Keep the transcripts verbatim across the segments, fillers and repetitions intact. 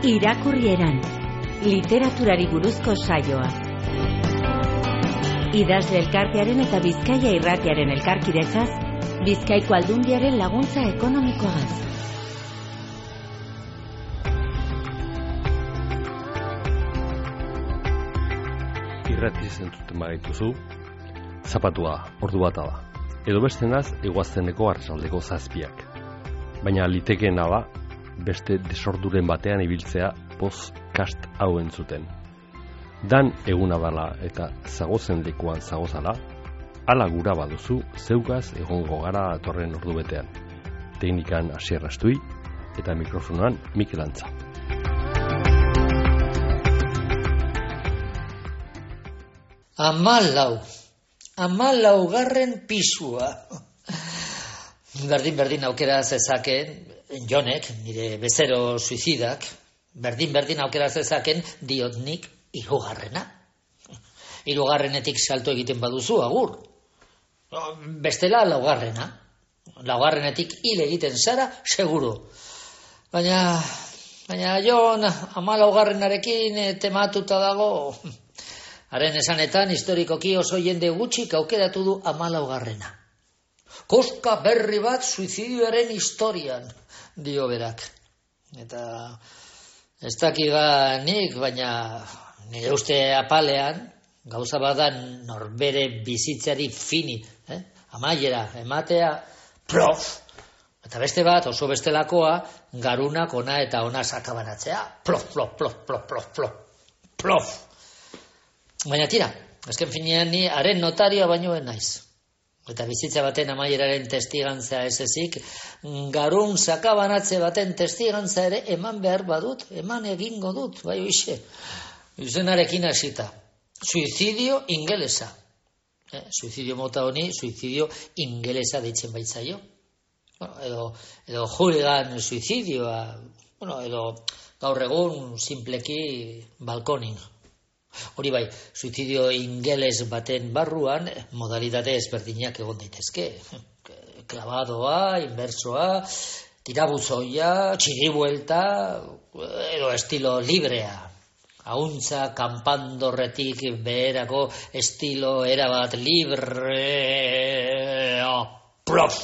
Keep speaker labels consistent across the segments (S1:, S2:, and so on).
S1: Irakurrieran, literaturari buruzko saioa. Idazle elkartearen eta Bizkaia irratiaren elkarkidetzaz, Bizkaiko Aldundiaren laguntza ekonomikoaz.
S2: Irratiz entzuten bagaituzu, zapatua ordu bata da. Edo bestenaz, eguazteneko arratsaldeko zazpiak. Baina litekeena da, beste desorduren batean ibiltzea podcast hau entzuten. Dan eguna bala eta zagozen lekuan zagozala, ala gura baduzu zeugaz egongo gara atorren ordu betean. Teknikan Asier Astui eta mikrofonoan Mikel Antza.
S3: Amalau, amalau garren pisua. Berdin-berdin aukera zezaken, Jonek, nire bezero suizidak, berdin-berdin aukera zezaken diotnik hirugarrena. Hirugarrenetik salto egiten baduzu, agur. Bestela laugarrena. Laugarrenetik hil egiten zara, seguru. Baina, baina Jon amalaugarrenarekin tematuta dago. Haren esanetan, historikoki oso jende gutxik aukeratu du amalaugarrena. Koska berri bat suizidioaren historian, dio berak. Eta ez dakiga nik, baina nire uste apalean, gauza badan norbere bizitzari fini, eh? amaiera, ematea, plof. Eta beste bat, oso bestelakoa, garunak ona eta ona sakabanatzea, plof, plof, plof, plof, plof, plof, plof. Baina tira, azken finean ni haren notarioa bainoen naiz. Eta bizitza baten amaieraren testigantza ez ezik, garun sakabanatze baten testigantza ere eman behar badut, eman egingo dut, bai oixe. Izenarekin hasita. Suizidio ingelesa. Eh, suizidio mota honi, suizidio ingelesa deitzen baitzaio. Bueno, edo, edo hooligan suizidioa, bueno, edo gaur egun simpleki balkoning. Hori bai, suizidio ingeles baten barruan modalitate ezberdinak egon daitezke. Klabadoa, inbersoa, tirabuzoia, txiribuelta, edo estilo librea. Hauntza kanpandorretik beherako estilo erabat libre. Prof!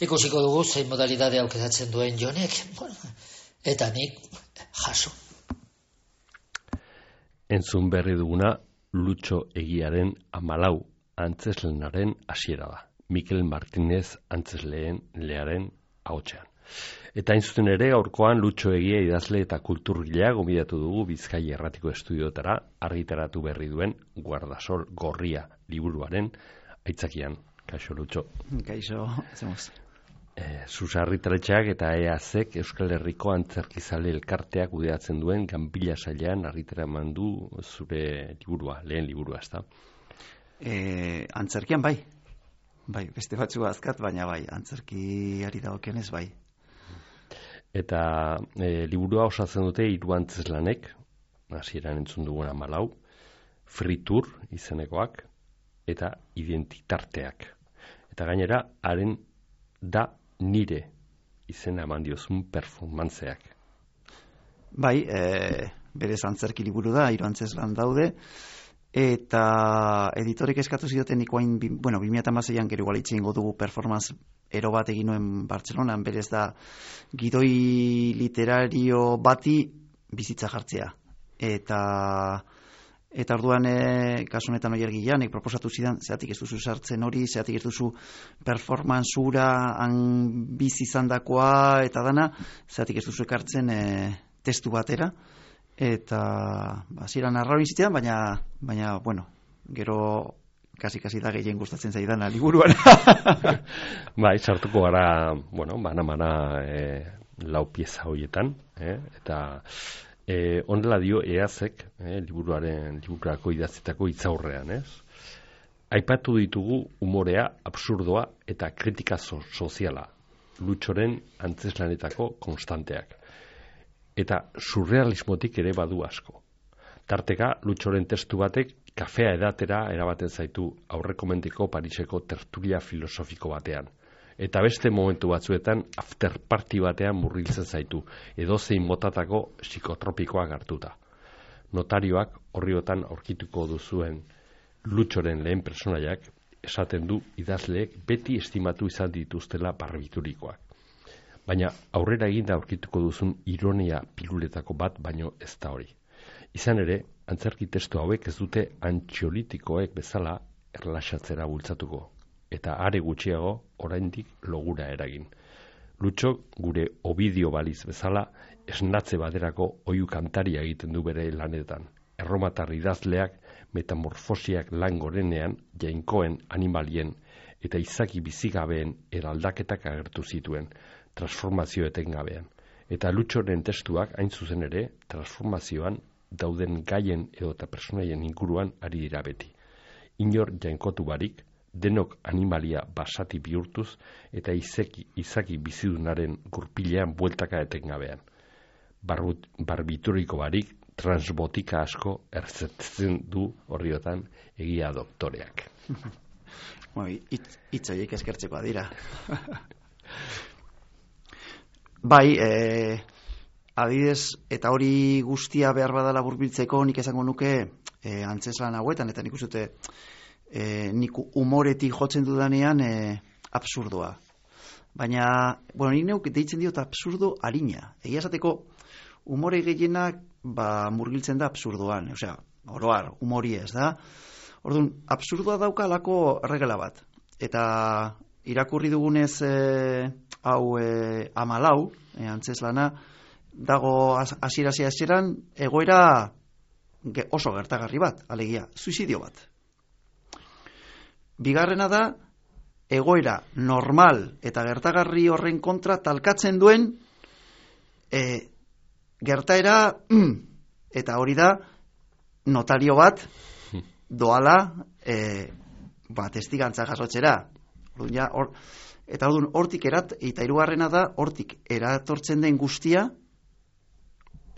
S3: Ikusiko dugu zein modalitate aukeratzen duen Jonek. Eta nik jaso.
S2: Entzun berri duguna Lutxo Egiaren amalau antzeslenaren hasiera da. Mikel Martinez antzesleen learen ahotsean. Eta entzuten ere aurkoan Lutxo Egia idazle eta kulturgilea gonbidatu dugu Bizkaia Irratiko Estudiotara argitaratu berri duen Guardasol Gorria liburuaren aitzakian. Kaixo Lutxo.
S4: Kaixo, hacemos.
S2: Eh, Susarritaretxeak eta E A Zek Euskal Herriko Antzerkizale elkarteak kudeatzen duen Ganbila sailean argitara eman du zure liburua, lehen liburua, ezta?
S4: Eh, antzerkian bai. Bai, beste batzu azkat, baina bai, antzerkiari dagokionez bai.
S2: Eta e, liburua osatzen dute hiru antzeslanek, hasieran entzun duguna amalau, fritur izenekoak eta identitarteak. Eta gainera, haren da nire izena eman diozun performantzeak.
S4: Bai, e, berez antzerki liburu da, hiru antzeslan daude, eta editorek eskatu zioten ikoain, bueno, bi mila hamaseian gero igual itxingo dugu performance ero bat egin nuen Bartzelonan, berez da gidoi literario bati bizitza jartzea. Eta Eta orduan, e, kasu honetan Oier Gilanek proposatu zidan, zeatik ez duzu sartzen hori, zeatik ez duzu performanzura, han bizi izandakoa eta dana, zeatik ez duzu ekartzen e, testu batera. Eta, ba, ziren arraro izitean, baina, baina, bueno, gero kasi-kasi da gehien gustatzen zaidana liburuan.
S2: Bai, sartuko gara, bueno, bana-bana e, lau pieza horietan, eh? eta... E, onela dio E A Zek, eh, liburuaren liburako idatzitako hitzaurrean, ez? Aipatu ditugu umorea, absurdoa eta kritika so- soziala, Lutxoren antzeslanetako konstanteak. Eta surrealismotik ere badu asko. Tarteka, Lutxoren testu batek kafea edatera erabaten zaitu aurrekomentiko Pariseko tertulia filosofiko batean. Eta beste momentu batzuetan after party batean murgiltzen zaitu, edozein motatako psikotropikoak hartuta. Notarioak horriotan aurkituko duzuen Lutxoren lehen personaiak esaten du idazleek beti estimatu izan dituztela barbiturikoak. Baina aurrera eginda aurkituko duzun ironia piluletako bat baino ez da hori. Izan ere, antzerki testu hauek ez dute antxiolitikoek bezala erlaxatzera bultzatuko, eta are gutxiago oraindik logura eragin. Lutxo gure Ovidio baliz bezala esnatze baterako oihu kantaria egiten du bere lanetan. Erromatar idazleak metamorfosiak lan gorenean jainkoen animalien eta izaki bizigabeen eraldaketak agertu zituen, transformazio etengabean. Eta Lutxoren testuak hain zuzen ere transformazioan dauden gaien edo eta personaien inguruan ari dira beti. Inor jainkotu barik, denok animalia basati bihurtuz eta izaki, izaki bizidunaren gurpilean bueltaka etengabean. Barbut, barbituriko barik, transbotika asko erzetzen du horriotan egia doktoreak.
S4: Hitz horiek eskertzekoa dira. Bai, eh, adidez, eta hori guztia behar badala burbiltzeko, nik esango nuke eh, antzeslan hauetan, eta nik uste eh, nik umoretik jotzen dudanean eh, absurdoa. Baina, bueno, nik neuk deitzen diot absurdo harina. Egia esateko, umore gehienak ba, murgiltzen da absurdoan, osea, oroar, umori ez da. Orduan, absurdoa dauka lako regela bat. Eta irakurri dugunez e, hau e, amalau, e, antzeslana, dago hasiera hasieran egoera ge, oso gertagarri bat, alegia, suizidio bat. Bigarrena da, egoera normal eta gertagarri horren kontra talkatzen duen e, gertaera, mm, eta hori da, notario bat doala e, ba, testigantza jasotzera. Ja, or, eta orduan hortik erat, eta hirugarrena da, hortik eratortzen den guztia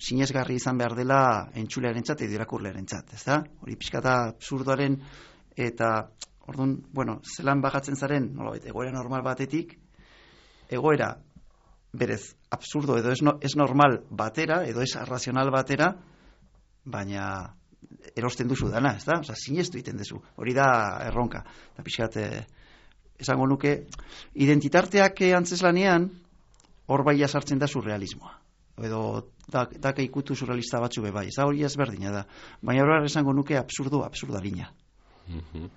S4: sinesgarri izan behar dela entzulearentzat edo irakurlearentzat, ez da? Hori pixkata absurdoaren eta orduan, bueno, zelan bajatzen zaren, nolabait, egoera normal batetik, egoera berez absurdo edo ez, no, ez normal batera, edo ez arrazional batera, baina erosten duzu dana, ez da? Osa, sinestu egiten duzu. Hori da erronka. Eta pixkat, eh, esango nuke, identitarteak antzeslanean, hor baia sartzen da surrealismoa. Edo, dak, dak ikutu surrealista batzu be bai. Ez da hori ezberdina da. Baina hori esango nuke absurdo, absurdarina.
S2: Mm-hmm.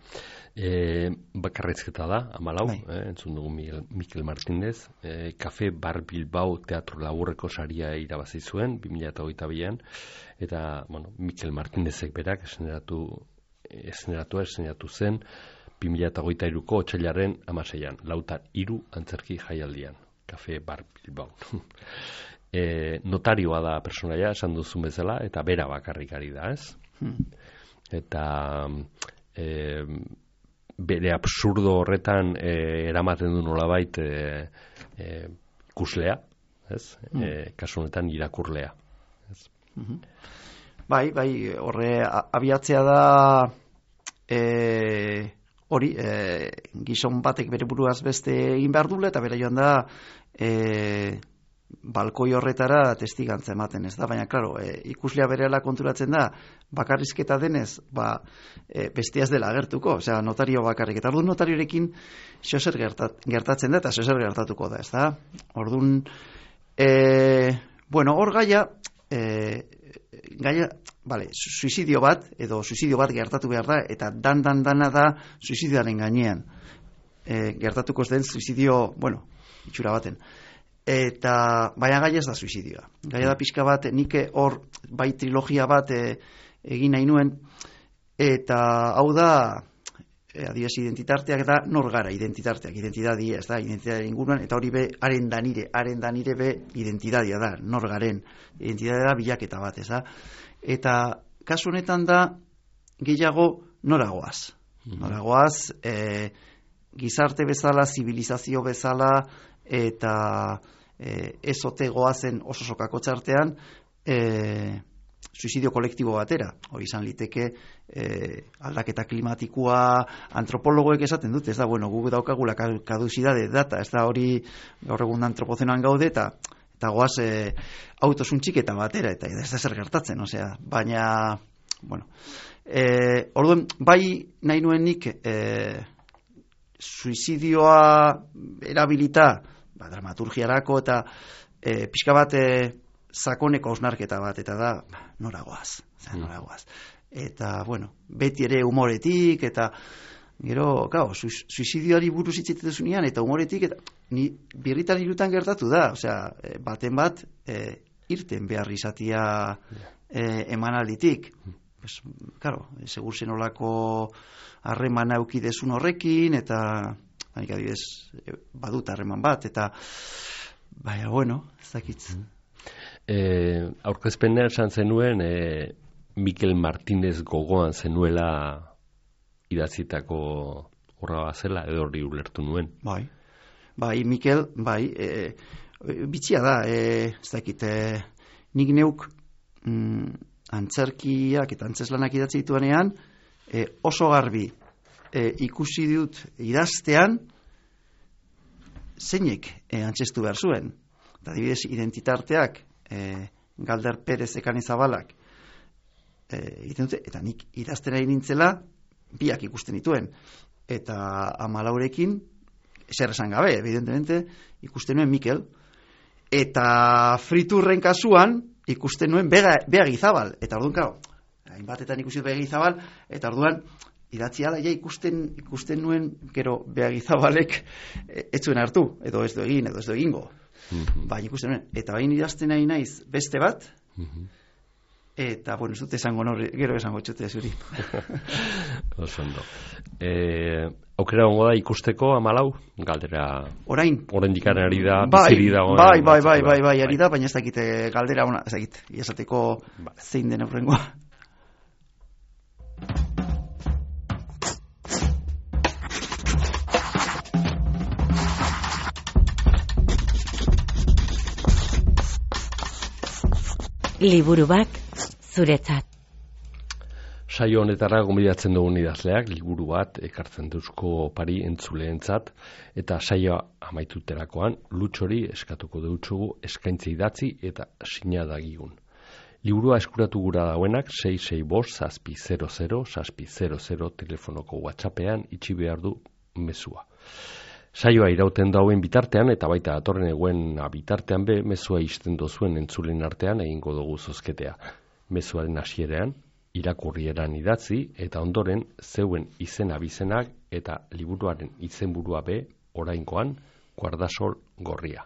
S2: E, bakarrizketa da, amalau, bai. eh, entzun dugu Mikel, Mikel Martínez, e, Kafe Bar Bilbao teatro laburreko saria irabazi zuen, bi mila hogeita bian, eta, bueno, Mikel Martínezek berak eseneratu, eseneratu, eseneratu zen, bi mila hogeita hiruko otsailaren hamaseian, lauta hiru antzerki jaialdian, Kafe Bar Bilbao. e, notarioa da personaia, esan duzun bezala, eta bera bakarrik ari da, ez? Hmm. Eta... E, bere absurdo horretan e, eramaten du nolabait e, e, ikuslea, ez? Mm. E, kasu honetan irakurlea. Ez?
S4: Mm-hmm. Bai, bai, horre abiatzea da e, hori, e, gizon batek bere buruaz beste egin behar dule, eta bere joan da e, balkoi horretara testigantza ematen, ez da? Baina, klaro, e, ikuslea berehala konturatzen da, bakarrizketa denez, ba, e, bestia ez dela agertuko, osea, notario bakarrik. Eta orduan notariorekin zozer gertat, gertatzen da, eta zozer gertatuko da, ez da? Orduan, e, bueno, hor gaia, e, gaia, vale, suizidio bat, edo suizidio bat gertatu behar da, eta dan-dan-dana da suizidioaren gainean. E, gertatuko ez den suizidio, bueno, itxura baten. Eta baina gaia ez da suizidioa. Gaia da pixka bat, nik hor bai trilogia bat e, egin nahi nuen, eta hau da, e, adiez, identitarteak da nor gara, identitarteak, identitadia, ez da, identitatea inguruan, eta hori be, haren danire, haren danire be, identitatea da, nor garen, identitatea da bilaketa bat, ez da. Eta kasu honetan da, gehiago noragoaz. Noragoaz, e, gizarte bezala, zibilizazio bezala, eta e, ez ote goazen oso sokako txartean, e, suizidio kolektibo batera. Hori izan liteke eh, aldaketa klimatikoa antropologoek esaten dute, ez da, bueno, gu daukagula kadusidade data, ez da hori gaur egun antropozenoan gaude, eta eta goaz eh, autosuntxiketa batera, eta ez da zer gertatzen, osea, baina, bueno, eh, orduan, bai nahi nuen nik eh, suizidioa erabilita, ba, dramaturgiarako eta eh, pixka bat eh, sakoneko hausnarketa bat, eta da, noragoaz, noragoaz. Eta, bueno, beti ere humoretik, eta gero, gau, suizidioari buruz hitzetezunean, eta humoretik, eta ni birritan irutan gertatu da, osea, baten bat, e, irten behar izatia e, emanalditik. Pues, claro, segur zenolako harreman aukidezun horrekin, eta, hanik adibidez, badut harreman bat, eta, baina, bueno, ez dakitz.
S2: Eh, aurkezpenean esan zenuen eh, Mikel Martinez gogoan zenuela idatzitako horra zela, edo hori ulertu nuen.
S4: Bai, bai, Mikel, bai, e, bitxia da, e, ez dakit, e, nik neuk mm, antzerkiak eta antzeslanak idatzi dituanean, e, oso garbi e, ikusi dut idaztean zeinek e, antzestu behar zuen. Eta adibidez, identitarteak, E, Galder Perez Ekanizabalak e, egiten dute, eta nik idazten ari nintzela biak ikusten dituen, eta Amalaurekin zer esan gabe, evidentemente ikusten nuen Mikel, eta Friturren kasuan ikusten nuen Bega, Bega Gizabal, eta orduan kao, hainbatetan ikusi dut Bega Gizabal, eta orduan idatzi ala, ja ikusten, ikusten nuen gero Bega Gizabalek ez zuen hartu, edo ez du egin, edo ez du egingo. Mm-hmm. Baina ikusten nuen, eta bain idazten nahi naiz beste bat, mm-hmm. Eta, bueno, ez dut esango norri, gero esango txotea zuri.
S2: Osondo. Eh, aukera gongo da ikusteko Amalau, galdera...
S4: Orain?
S2: Orain dikaren ari da,
S4: bai,
S2: biziri dagoen.
S4: Bai, bai, bai, bai, bai, ari da, baina ez dakite galdera ona, ez dakit, iazateko bai. Zein den aurrengoa.
S1: Liburu bat zuretzat.
S2: Saio honetara gonbidatzen dugun idazleak liburu bat ekartzen duzko pari entzuleentzat, eta saioa amaituterakoan lutxori eskatuko deutsugu eskaintze idatzi eta sinadagigun. Liburua eskuratu gura dauenak sei sei bost zazpi zero zero zazpi zero zero telefonoko WhatsAppean itxi behar du mezua. Saioa irauten dauen bitartean eta baita datorren eguen bitartean be mezua isten dozuen entzulen artean egingo dugu zozketea. Mezuaren hasierean irakurrieran idatzi eta ondoren zeuen izen abizenak eta liburuaren izenburua be orainkoan Guardasol gorria.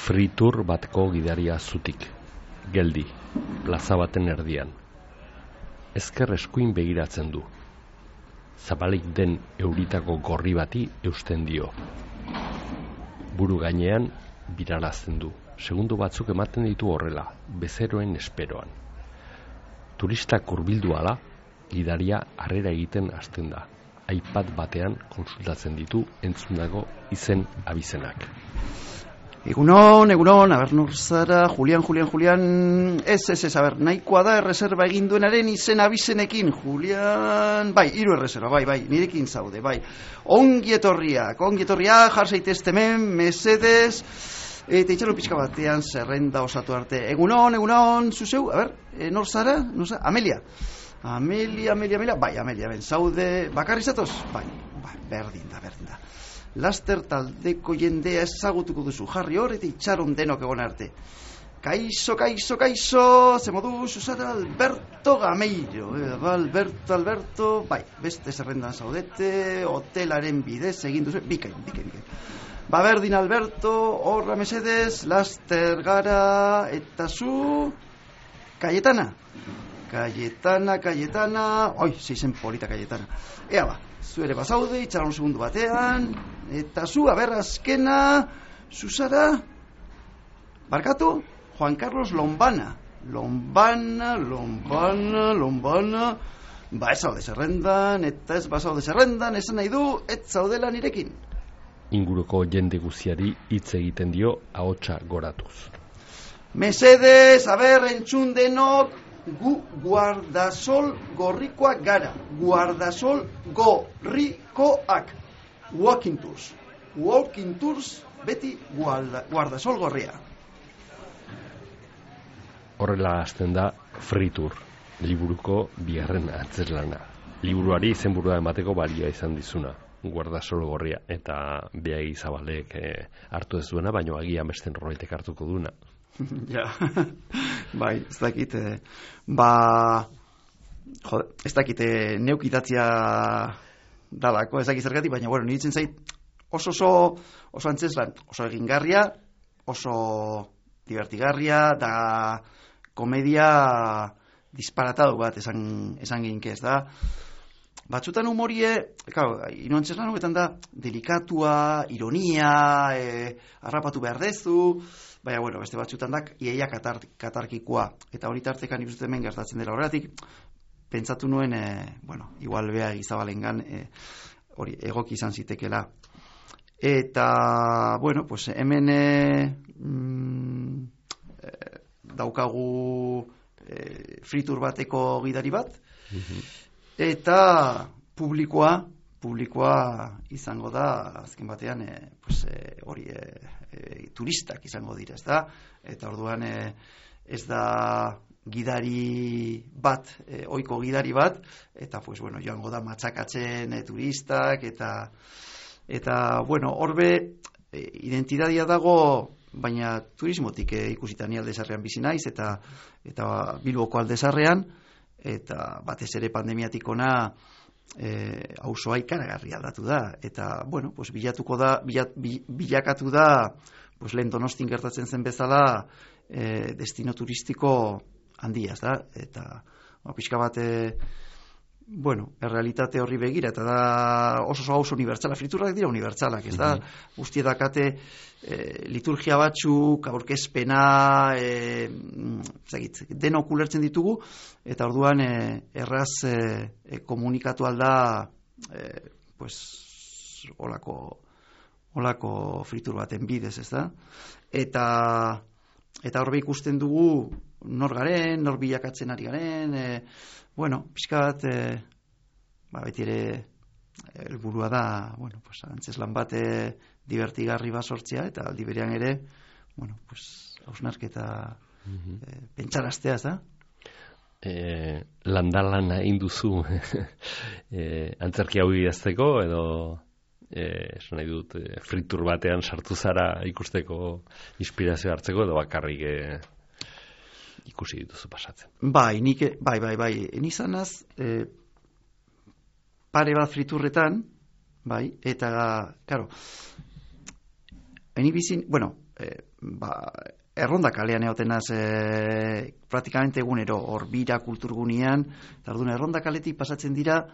S2: Fritur batko gidaria zutik, geldi, plaza baten erdian. Ezker eskuin begiratzen du. Zabalik den euritako gorri bati eusten dio. Buru gainean birarazten du. Segundu batzuk ematen ditu horrela, bezeroen esperoan. Turistak hurbildu ala, gidaria harrera egiten hasten da. iPad batean konsultatzen ditu entzundago izen abizenak.
S4: Egunon, egunon, aber nor zara, Julian, Julian, Julian, ez, ez, ez, aber, nahikoa da erreserba egin duenaren izen abizenekin, Julian, bai, hiru erreserba, bai, bai, nirekin zaude, bai, ongi etorriak, ongi etorriak, jar zaitezte hemen, mesedez, eta itxalo pixka batean zerrenda osatu arte, egunon, egunon, zuzeu, aber, e, nor zara, nor zara, Amelia, Amelia, Amelia, Amelia, bai, Amelia, ben, zaude, bakarri zatoz, bai, bai, berdin da, berdin da. Laster taldeko jendea ezagutuko duzu, jarri hor eta itxaron denok egon arte. Kaixo, kaixo, kaixo, ze modu, Susana Alberto Gameiro, eh, Alberto, Alberto, bai, beste zerrendan zaudete, hotelaren bidez egin duzu, bikain, bikain, bikain. Ba, berdin Alberto, horra mesedez, laster gara, eta zu, Cayetana, Cayetana, Cayetana, oi, zeizen polita Cayetana, ea ba. Zu ere bazaude, itxaron segundu batean, Eta zu, aber, azkena, zuzara, barkatu, Juan Carlos Lombana. Lombana, Lombana, Lombana, ba ez zaude zerrendan, eta ez ba zaude zerrendan, esan nahi du, ez zaudela nirekin.
S2: Inguruko jende guziari hitz egiten dio ahotsa goratuz.
S4: Mesedez, aber, entzun denok, gu guardasol gorrikoak gara. Guardasol gorrikoak. Walking tours. Walking tours, beti guarda, guardasol gorria.
S2: Horrela hasten da Fritur, liburuko bigarren antzezlana. Liburuari izenburua emateko balioa izan dizuna, guardasol gorria, eta Beagi Zabalek eh, hartu ez duena, baino agian beste norbaitek hartuko duena.
S4: Ja, bai, ez dakit, eh, ba, jode, ez dakit eh, neukitatzia dalako, ez dakit zergatik, baina, bueno, niritzen zait oso oso, oso antzeslan, oso egingarria, oso divertigarria, da komedia disparatadu bat esan, esan ginke, ez da. Batzutan humorie, claro, ino antzeslan hobetan da, delikatua, ironia, e, harrapatu behar dezu, baina, bueno, beste batzutan da, iaia katar, katarkikoa, eta hori tartekan ikusten hemen gertatzen dela horretik, pentsatu nuen, e, bueno, igual Beagi Zabalengan, e, hori egoki izan zitekela. Eta, bueno, pues hemen e, mm, e, daukagu e, fritur bateko gidari bat, eta publikoa, publikoa izango da, azken batean, e, pues, e, hori e, e, turistak izango dira, ez da? Eta orduan e, ez da gidari bat, e, ohiko gidari bat, eta, pues, bueno, joango da matxakatzen e, turistak, eta eta, bueno, horbe e, identidadia dago, baina turismotik e, ikusita ni Aldezarrean bizi naiz, eta eta Bilboko Aldezarrean, eta batez ere pandemiatik ona e, auzoa ikaragarri aldatu da, eta, bueno, pues, bilatuko da, bilat, bilakatu da, pues, lehen Donostin gertatzen zen bezala, e, destino turistiko handia, ez da, eta ba, pixka bat, e, bueno, errealitate horri begira, eta da oso oso auzo unibertsala, friturrak dira unibertsalak, ez da, mm-hmm. Guztie dakate e, liturgia batzuk, aurkezpena, e, zagit, denok ulertzen ditugu, eta orduan e, erraz e, e, komunikatu alda, e, pues, olako, olako fritur baten bidez, ez da, eta eta horbe ikusten dugu nor garen, nor bilakatzen ari garen, e, bueno, pixka bat, e, ba, beti ere helburua da, bueno, pues, antzeslan bat e, divertigarri bat sortzea, eta aldi berean ere, bueno, pues, hausnarketa mm-hmm. e, pentsaraztea, ez da?
S2: E, landalana induzu e, antzerki hau idazteko, edo esan nahi dut, e, fritur batean sartu zara ikusteko inspirazio hartzeko, edo bakarrik e, ikusi dituzu pasatzen.
S4: Bai, nik, bai, bai, bai, nizanaz e, pare bat friturretan, bai, eta, karo, eni bizin, bueno, e, ba, erronda kalean egotenaz e, praktikamente egunero, hor bira kulturgunean, eta orduan erronda kaletik pasatzen dira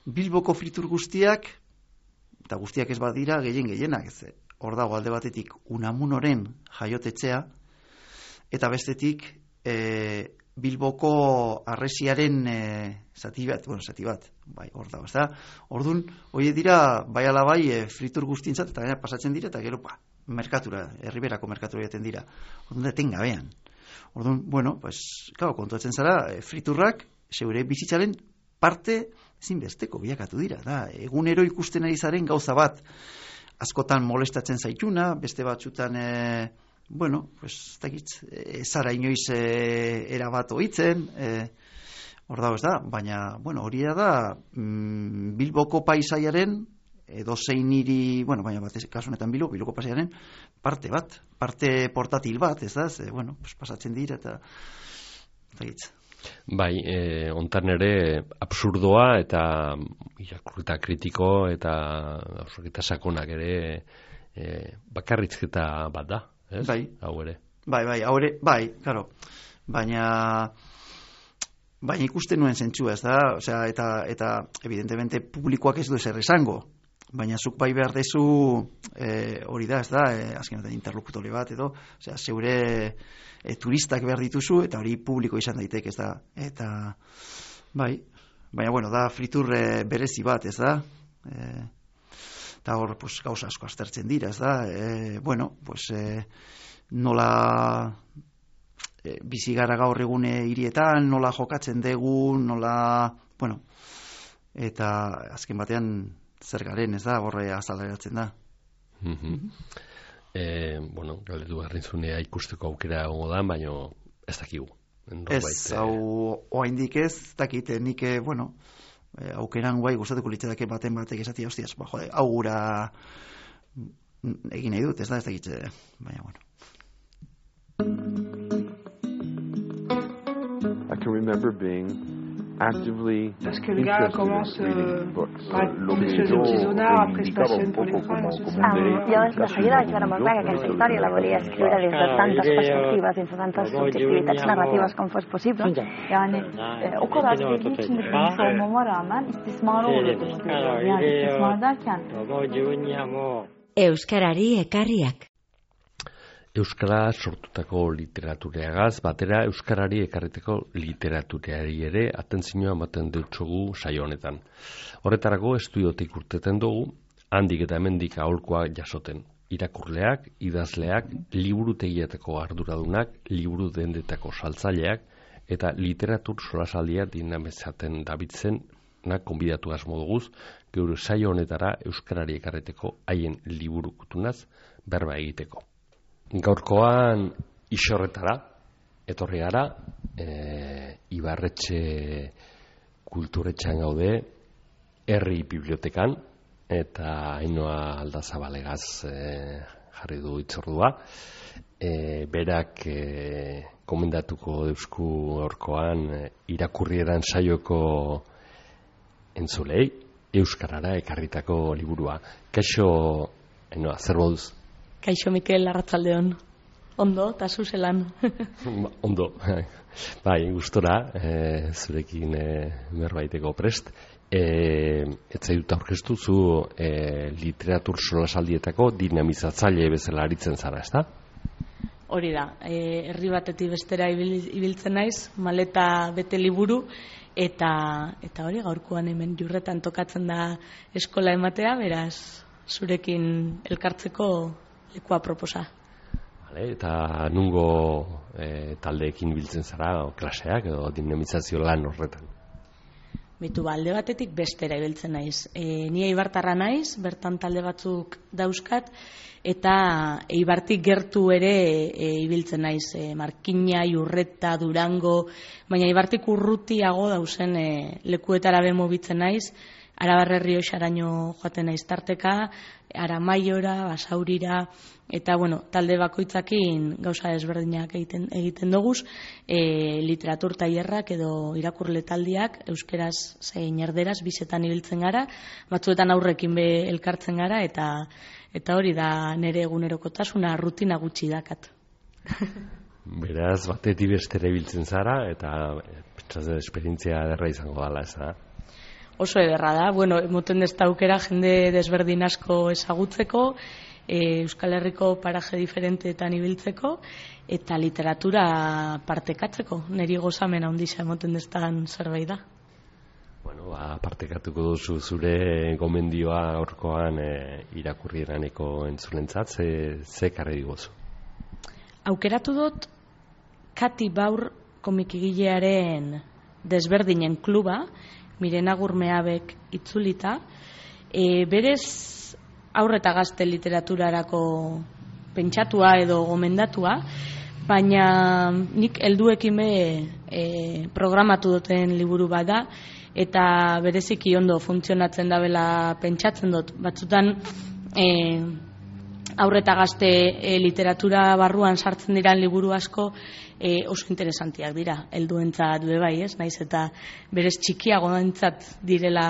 S4: Bilboko fritur guztiak, eta guztiak ez badira, gehien gehienak, ez, hor dago alde batetik Unamunoren jaiotetzea, eta bestetik e, Bilboko harresiaren e, zati bat, bueno, zati bat, bai, hor dago, ez da? Orduan, hori dira, bai ala bai, e, fritur guztientzat, eta gaina pasatzen dira, eta gero, pa, merkatura, herriberako merkatura jaten dira. Orduan, deten gabean. Orduan, bueno, pues, claro, kontuatzen zara, e, friturrak, zeure bizitzaren parte zinbesteko bilakatu dira. Da, egunero ikusten ari zaren gauza bat, askotan molestatzen zaituna, beste batzutan, e, bueno, pues, takitz, e, zara inoiz e, erabat oitzen, e, hor dago ez da, baina, bueno, hori da, mm, Bilboko paisaiaren, edo zein hiri, bueno, baina bat, kasu honetan Bilbo, Bilboko paisaiaren, parte bat, parte portatil bat, ez da, ze, bueno, pues, pasatzen dira, eta, takitz.
S2: Bai, e, ontan ere absurdoa eta irakurketa kritiko eta absurketa sakonak ere e, bakarrizketa bat da, ez?
S4: Bai.
S2: Hau ere.
S4: Bai, bai, hau ere, bai, claro. Baina baina ikusten nuen zentzua, ez da? Osea, eta eta evidentemente publikoak ez du ezer esango. baina zuk bai behar dezu e, hori da, ez da, e, azkenetan interlokutore bat edo, osea, zeure e, turistak behar dituzu eta hori publiko izan daiteke, ez da, eta bai, baina bueno, da friturre berezi bat, ez da, e, eta hor pues, gauza asko aztertzen dira, ez da, e, bueno, pues e, nola e, bizi gara gaur egune hirietan, nola jokatzen dugu, nola, bueno, eta azken batean zer garen, ez da, horre azaleratzen da.
S2: Mm-hmm. e, bueno, galdetu garrintzunea ikusteko aukera gongo da, baina ez dakigu.
S4: Ez, hau oaindik ez, dakit, nik, bueno, aukeran guai gustatuko litzateke baten batek esatia, hostias, ba, jode, hau gura egin nahi dut, ez da, ez dakit, baina, bueno.
S5: I can remember being actively
S6: Parce que le gars commence euh, par une espèce de petit zonard, après se passionne pour les crânes, c'est ça.
S7: Llavors, de seguida vaig veure molt clar que aquesta història la volia escriure des de tantes perspectives, des de tantes subjectivitats narratives com fos possible. Yani o kadar dediği için de bilmiş olmama rağmen istismar olurdu. Yani istismar derken
S1: Euskarari ekarriak.
S2: Euskara sortutako literatureagaz, batera Euskarari ekarriteko literatureari ere atentzioa ematen deutsogu saio honetan. Horretarako estudiotik urteten dugu, handik eta hemendik aholkoa jasoten. Irakurleak, idazleak, liburutegietako arduradunak, liburu dendetako saltzaileak, eta literatur solasaldia dinamezaten dabitzen na konbidatu asmo duguz, geure saio honetara Euskarari ekarriteko haien liburu kutunaz berba egiteko. Gaurkoan isorretara, etorri gara, e, Ibarretxe kulturetxean gaude, herri bibliotekan, eta Ainhoa Aldazabalegaz e, jarri du itzordua. E, berak e, komendatuko deusku gaurkoan e, irakurrieran saioko entzulei, Euskarara ekarritako liburua. Kaixo, Ainhoa, zer moduz?
S8: Kaixo Mikel, arratsaldeon. Ondo, eta zuzelan.
S2: Ondo. Bai, gustora, e, zurekin e, berbaiteko prest. E, etzai dut aurkeztu zu e, literatur solasaldietako dinamizatzaile bezala aritzen zara, ezta?
S8: Hori da, e, herri batetik bestera ibil, ibiltzen naiz, maleta bete liburu, eta, eta hori gaurkoan hemen Jurretan tokatzen da eskola ematea, beraz, zurekin elkartzeko lekua proposa.
S2: Vale, eta nungo e, taldeekin biltzen zara, o, klaseak edo dinamizazio lan horretan?
S8: Bitu, alde batetik bestera ibiltzen naiz. E, ni eibartarra naiz, bertan talde batzuk dauzkat, eta eibartik gertu ere e, ibiltzen naiz. E, Markina, Jurreta, Durango, baina eibartik urrutiago dauzen e, lekuetara bemobitzen naiz, Arabarre Rioxaraino joaten naiz tarteka, Aramaiora, Basaurira, eta bueno, talde bakoitzakin gauza ezberdinak egiten, egiten doguz, e, literatur tailerrak edo irakurle taldiak, euskeraz zein erderaz, bizetan ibiltzen gara, batzuetan aurrekin be elkartzen gara, eta eta hori da nire egunerokotasuna, rutina gutxi dakat.
S2: Beraz, batetik bestera ibiltzen zara, eta pentsatzen esperientzia derra izango dela, ez da?
S8: Oso ederra da, bueno, emoten dezta aukera jende desberdin asko ezagutzeko, e, Euskal Herriko paraje diferenteetan ibiltzeko, eta literatura partekatzeko, niri gozamen handia emoten deztan zerbait da.
S2: Bueno, ba, partekatuko duzu zure gomendioa aurkoan e, irakurrieraneko entzulentzat, ze, ze karri digozu?
S8: Aukeratu dut Kati Baur komikigilearen desberdinen kluba, Mirena Gurmeabek itzulita, e, berez aurre eta gazte literaturarako pentsatua edo gomendatua, baina nik helduekin be e, programatu duten liburu bat da, eta bereziki ondo funtzionatzen dabela pentsatzen dut. Batzutan e, aurre eta gazte e, literatura barruan sartzen diran liburu asko e, oso interesantiak dira, helduentzat be bai, ez? Naiz eta berez txikiagoentzat direla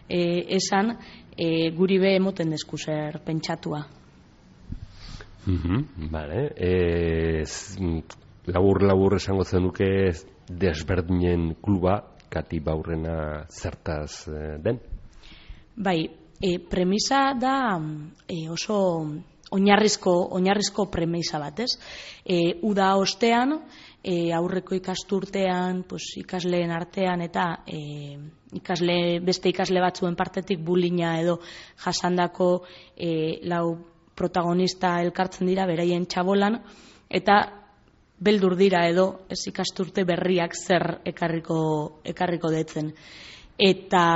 S8: e, esan, e, guri be emoten desku zer pentsatua.
S2: Mm-hmm, vale. E, labur labur esango zenuke desberdinen kluba Kati Baurrena zertaz e, den?
S8: Bai, e, premisa da e, oso oinarrizko, oinarrizko premisa bat, ez? E, uda ostean, e, aurreko ikasturtean, pues, ikasleen artean eta e, ikasle, beste ikasle batzuen partetik bulina edo jasandako e, lau protagonista elkartzen dira beraien txabolan, eta beldur dira edo ez ikasturte berriak zer ekarriko, ekarriko detzen. Eta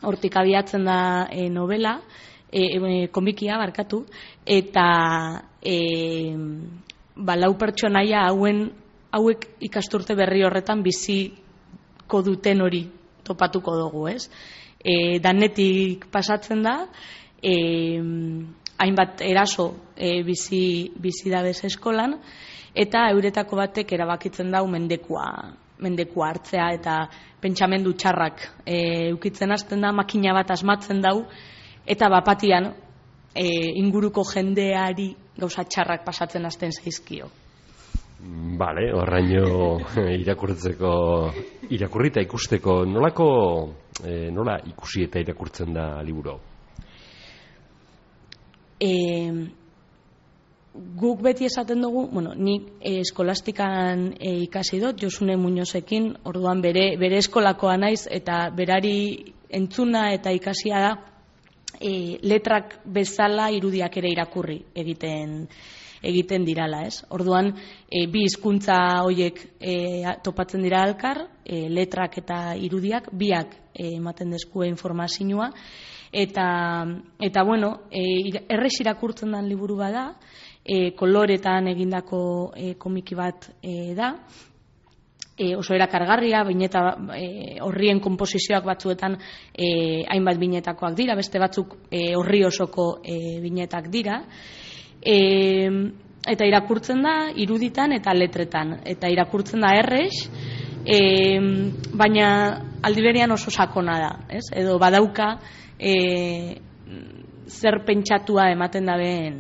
S8: hortik abiatzen da e, novela, e, e, komikia barkatu, eta e, ba, lau pertsonaia hauen, hauek ikasturte berri horretan biziko duten hori topatuko dugu, ez? E, danetik pasatzen da, e, hainbat eraso e, bizi, bizi dabez eskolan, eta euretako batek erabakitzen dau mendekua, mendekua hartzea, eta pentsamendu txarrak e, ukitzen hasten da, makina bat asmatzen dau, eta bapatian e, inguruko jendeari gauza txarrak pasatzen hasten zaizkio.
S2: Bale, horraino irakurtzeko, irakurrita ikusteko, nolako, e, nola ikusi eta irakurtzen da liburu?
S8: E, guk beti esaten dugu, bueno, nik e, eskolastikan e, ikasi dut, Josune Muñozekin, orduan bere, bere eskolakoa naiz, eta berari entzuna eta ikasia da, e, letrak bezala irudiak ere irakurri egiten egiten dirala, ez? Orduan, e, bi hizkuntza hoiek e, topatzen dira elkar, e, letrak eta irudiak, biak e, ematen deskue informazioa, eta, eta bueno, e, errex irakurtzen den liburu bada, e, koloretan egindako e, komiki bat e, da, e, oso erakargarria, bineta e, horrien konposizioak batzuetan e, hainbat binetakoak dira, beste batzuk e, horri osoko e, binetak dira, e, eta irakurtzen da iruditan eta letretan, eta irakurtzen da errex, e, baina aldiberian oso sakona da, ez? Edo badauka e, zer pentsatua ematen dabeen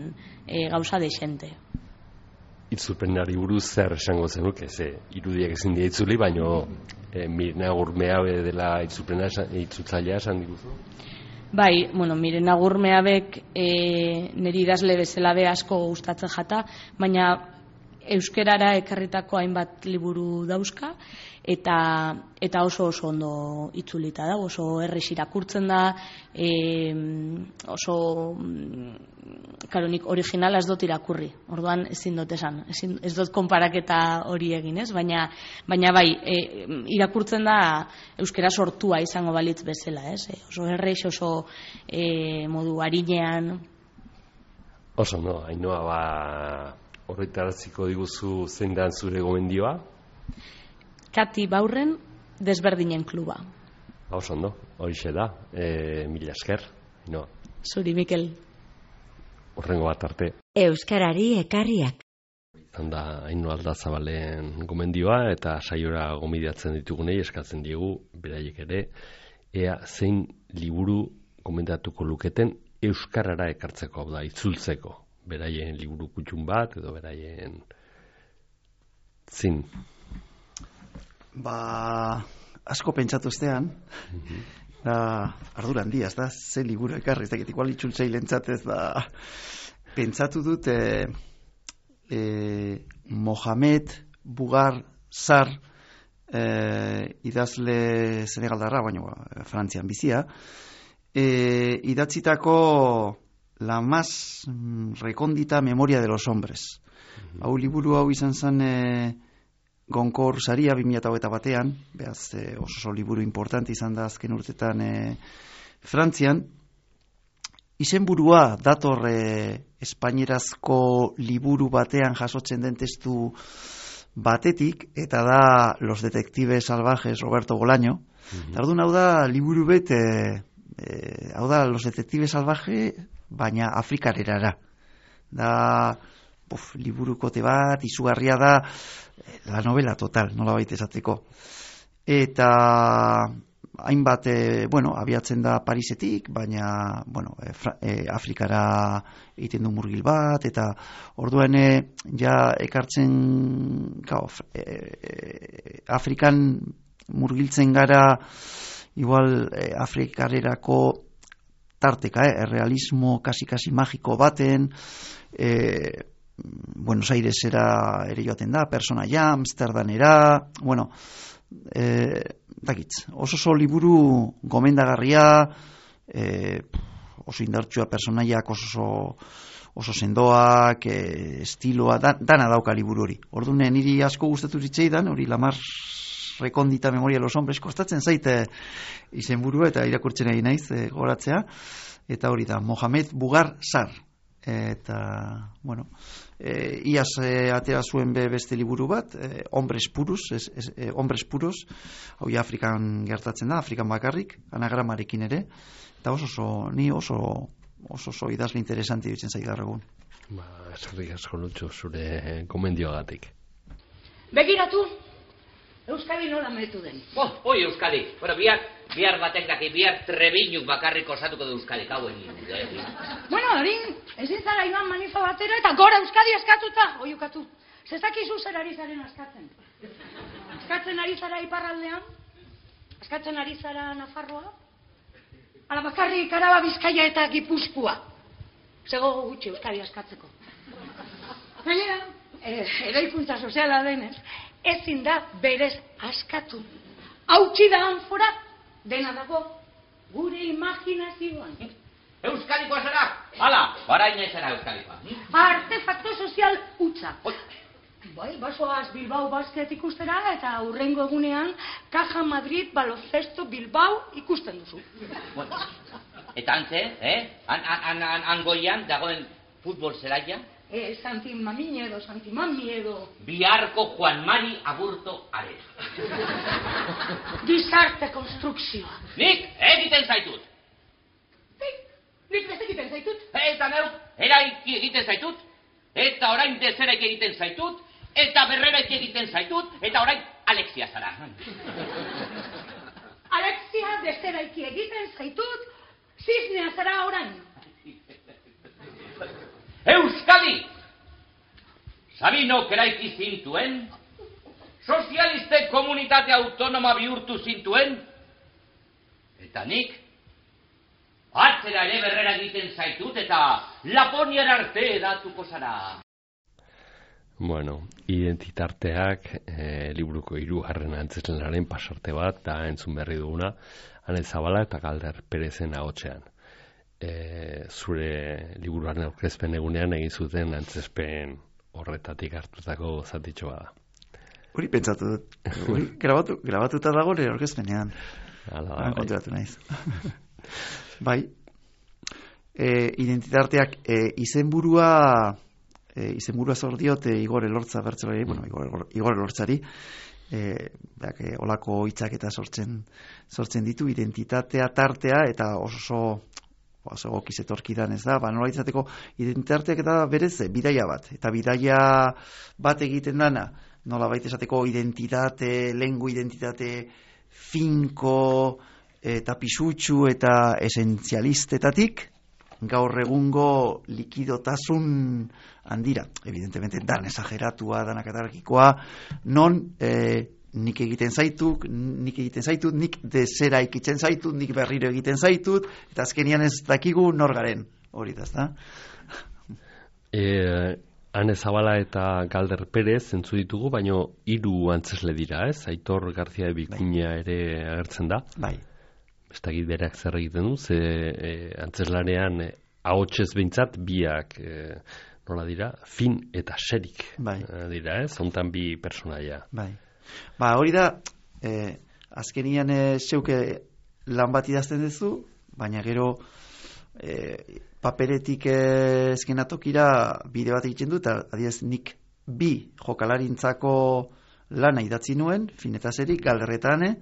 S8: e, gauza deixente.
S2: Itzulpenari buruz zer esango zenuke, ze irudiak ezin dira itzuli, baino e, Mirena Agurmeabe dela itzulpena itzultzailea esan diguzu?
S8: Bai, bueno, Mirena Agurmeabek e, niri idazle bezala be asko gustatzen jata, baina euskerara ekarritako hainbat liburu dauzka, eta eta oso oso ondo itzulita da, oso errex irakurtzen da, e, oso karonik originala ez dut irakurri, orduan ezin dut esan, ezin, ez dut konparaketa hori egin, ez? Baina, baina bai, e, irakurtzen da euskera sortua izango balitz bezala, ez? E, oso errex, oso e, modu arinean.
S2: Oso no, Ainhoa, ba, horretaraziko diguzu zein da zure gomendioa?
S8: Kati Baurren Desberdinen kluba.
S2: Oso ondo, horixe da, e, mila esker, Ainhoa.
S8: Zuri, Mikel.
S2: Horrengo bat arte.
S1: Euskarari ekarriak.
S2: Handa, Ainhoa Aldazabalen gomendioa eta saiora gomidatzen ditugunei eskatzen diegu, beraiek ere, ea zein liburu gomendatuko luketen euskarara ekartzeko, hau da, itzultzeko. Beraien liburu kutxun bat, edo beraien zin.
S4: Ba, asko pentsatu estean, mm-hmm. da, ardura handia, ez da, ze liburu ekarri, ez dakit, igual itzultzailentzat ez da, pentsatu dut, e, e, Mohamed Bugar Sar, e, idazle senegaldarra, baina Frantzian bizia, e, idatzitako La más recóndita memoria de los hombres. Mm-hmm. Hau liburu hau izan zen e, Gonkor saria bi mila hogeita batean, behaz e, oso liburu importante izan da azken urtetan e, Frantzian. Izenburua dator e, espainierazko liburu batean jasotzen den testu batetik, eta da Los detectives salvajes Roberto Bolaño. Mm-hmm. Tardun hau da liburu bet, e, e, hau da Los detectives salvajes, baina afrikarerara. Da, buf, liburukote bat, izugarria da, la novela total, nola baita esateko. Eta hainbat, e, bueno, abiatzen da Parisetik, baina, bueno, e, fra, e, Afrikara egiten du murgil bat, eta orduan e, ja ekartzen, kao, e, e, Afrikan murgiltzen gara, igual e, Afrikarerako tarteka, eh? errealismo kasi-kasi magiko baten, e, Buenos Airesera ere joaten da, personaia, Amsterdanera, bueno, e, dakitz, oso oso liburu gomendagarria, e, oso indartsua personaiak, oso oso sendoak, e, estiloa, dan, dana dauka liburu hori. Orduan, niri asko gustatu zitzaidan, hori Lamar Rekondita Memoria de los Hombres, kostatzen zaite izenburua eta irakurtzen ari naiz e, goratzea, eta hori da, Mohamed Bugar Sar. Eta, bueno, e, iaz e, atera zuen be beste liburu bat, e, Hombres Puros, es, es, e, Hombres Puros, hau ja Afrikan gertatzen da, Afrikan bakarrik, anagramarekin ere, eta oso oso, ni oso oso oso idazle interesante dutzen zaigar egun.
S2: Ba, eskerrik asko Lutxo zure komendioagatik.
S9: Begiratu, Euskadi nola meretu den.
S10: Oh, oi Euskadi. Bueno, bihar, bihar batek daki, bihar Trebiñuk bakarrik osatuko du Euskadi, kauen.
S9: Bueno, horin, ezin zara iban manifa batera eta gora Euskadi eskatuta, oiukatu. Zezakizu zer ari zaren askatzen. Askatzen ari zara iparraldean, askatzen ari zara Nafarroa, ala bakarrik Araba, Bizkaia eta Gipuzkoa. Zego gutxi Euskadi askatzeko. Gainera, eraikuntza soziala denez, ezin da berez askatu. Hautsi da anfora, dena dago gure imaginazioan.
S10: Euskadikoa zara? Hala, baraina zara Euskadikoa.
S9: Artefakto sozial hutsa. Bai, basoaz Bilbao Basket ikustera eta hurrengo egunean Caja Madrid Baloncesto Bilbao ikusten duzu.
S10: Bueno, eta antze, eh? An, an, an, angoian dagoen futbol zelaia?
S9: Eh, Santi Mami edo, Santi Mami edo.
S10: Biharko Juan Mari Aburto Arena.
S9: Gizarte konstrukzioa.
S10: Nik egiten zaitut.
S9: Nik, nik beste egiten zaitut.
S10: Eta neu, eraiki egiten zaitut. Eta orain dezeraik egiten zaitut. Eta berreraik egiten zaitut. Eta orain Alexia zara.
S9: Alexia dezeraik egiten zaitut. Ziznia zara orain.
S10: Euskadi! Sabinok eraiki zintuen, sozialiste komunitate autonoma bihurtu zintuen, eta nik, atzera ere berrera egiten zaitut, eta Laponiar arte edatuko zara.
S2: Bueno, identitarteak, e, liburuko hirugarren antzeslenaren pasarte bat, da entzun berri duguna, Ane Zabala eta Galder Perezen ahotsean. E, zure liburuaren aurkezpen egunean egin zuten antzespen horretatik hartutako zatitxo bada.
S4: Hori pentsatu dut. Hori grabatu, grabatuta dago nire aurkezpenean.
S2: Hala,
S4: bai. Konturatu naiz. Bai. E, identitateak e, izenburua e, izenburua zor diote Igor Elortza bertsolari, bueno, Igor, Igor Elortzari. Eh, beak, e, olako hitzak eta sortzen sortzen ditu identitatea tartea eta oso oso gokizetorkidan, ez da, ba, nola izateko identitateak eta berez bidaia bat, eta bidaia bat egiten dana, nola baita esateko identitate, lengu identitate finko eta pisutsu eta esenzialistetatik gaur egungo likidotasun handira, evidentemente dan esageratua, dan akatarkikoa, non eh, nik egiten zaitut, nik egiten zaitut, nik dezera ikitzen zaitut, nik berriro egiten zaitut, eta azkenian ez dakigu nor garen, hori da, ez da?
S2: E, Ane Zabala eta Galder Perez entzu ditugu, baino hiru antzesle dira, ez? Aitor Garzia Bikina bai. Ere agertzen da.
S4: Bai.
S2: Ez dakit berak zer egiten du, ze e, antzeslanean e, ahotsez behintzat biak e, nola dira, fin eta xerik
S4: bai.
S2: e, dira, ez? Hontan bi personaia.
S4: Bai. Ba, hori da, eh, azkenian eh, zeuke lan bat idazten duzu, baina gero eh, paperetik eh, eskenatokira bide bat egiten du, eta adiez nik bi jokalarintzako lana idatzi nuen, finetaserik, galderretane,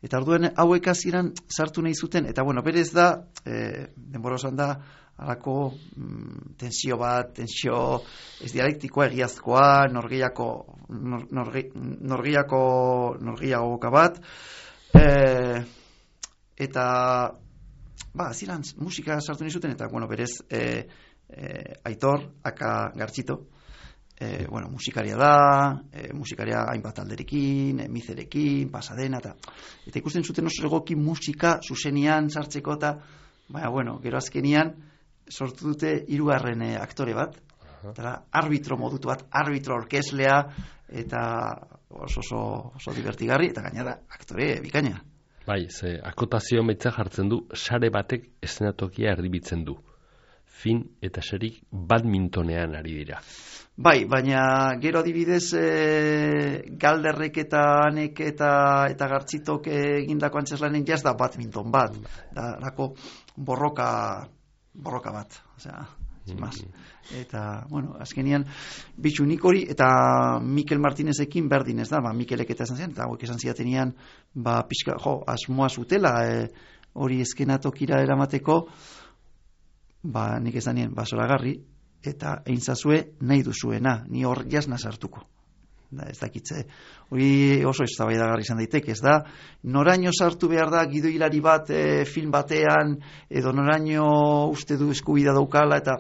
S4: eta orduen hauek hasieran sartu nahi zuten, eta bueno, berez da, eh, denbora osan da, alako mm, tensio bat, tensio ez dialektikoa, egiazkoa, norgeiako nor, norge, norgeiako norgeiago boka bat, e, eta ba, ziren musika sartu nizuten, eta bueno, berez e, e, Aitor, aka Gartzito, e, bueno, musikaria da, e, musikaria hainbat alderekin, e, mizerekin, pasadena, eta, eta ikusten zuten oso egoki musika zuzenian sartzeko, eta Baina, bueno, gero azkenian sortu dute hirugarren aktore bat, eta arbitro modutu bat, arbitro orkeslea, eta oso oso, oso divertigarri, eta gainera aktore bikaina.
S2: Bai, ze akotazio metza jartzen du, sare batek eszenatokia erdibitzen du. Fin eta serik badmintonean ari dira.
S4: Bai, baina gero adibidez e, Galderrek eta Anek eta, eta Gartzitok egindako antzeslanen jaz da badminton bat. Da, lako borroka, borroka bat. Osea, zimaz. Eta, bueno, azkenian, bitxu nik hori, eta Mikel Martinezekin berdin ez da, ba, Mikelek eta esan zian, eta hauek esan ziatenean, ba, pixka, jo, asmoa zutela, e, hori eskenatokira eramateko, ba, nik esan nien, ba, zoragarri, eta egin zazue nahi duzuena, ni hor jasna sartuko. Da, ez dakitze, hori oso eztabaidagarri izan daiteke, ez da, noraino sartu behar da gidoilari bat e, film batean, edo noraino uste du eskubida daukala, eta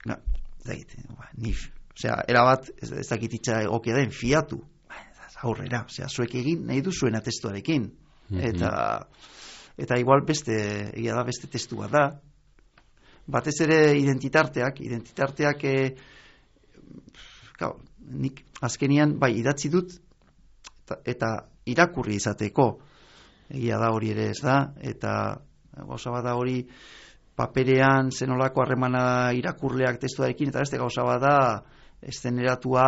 S4: no, ez dakit, ba, ni, osea, erabat, ez, ez dakititza egokia den, fiatu, ba, aurrera, osea, zuek egin nahi duzuena testuarekin, eta, eta igual beste, egia da beste testu bat da, batez ere identitarteak, identitarteak e, gau, nik azkenian bai idatzi dut eta, eta irakurri izateko egia da hori ere ez da, eta gauza bat da hori paperean zenolako harremana irakurleak testuarekin, eta beste gauza bat da eszeneratua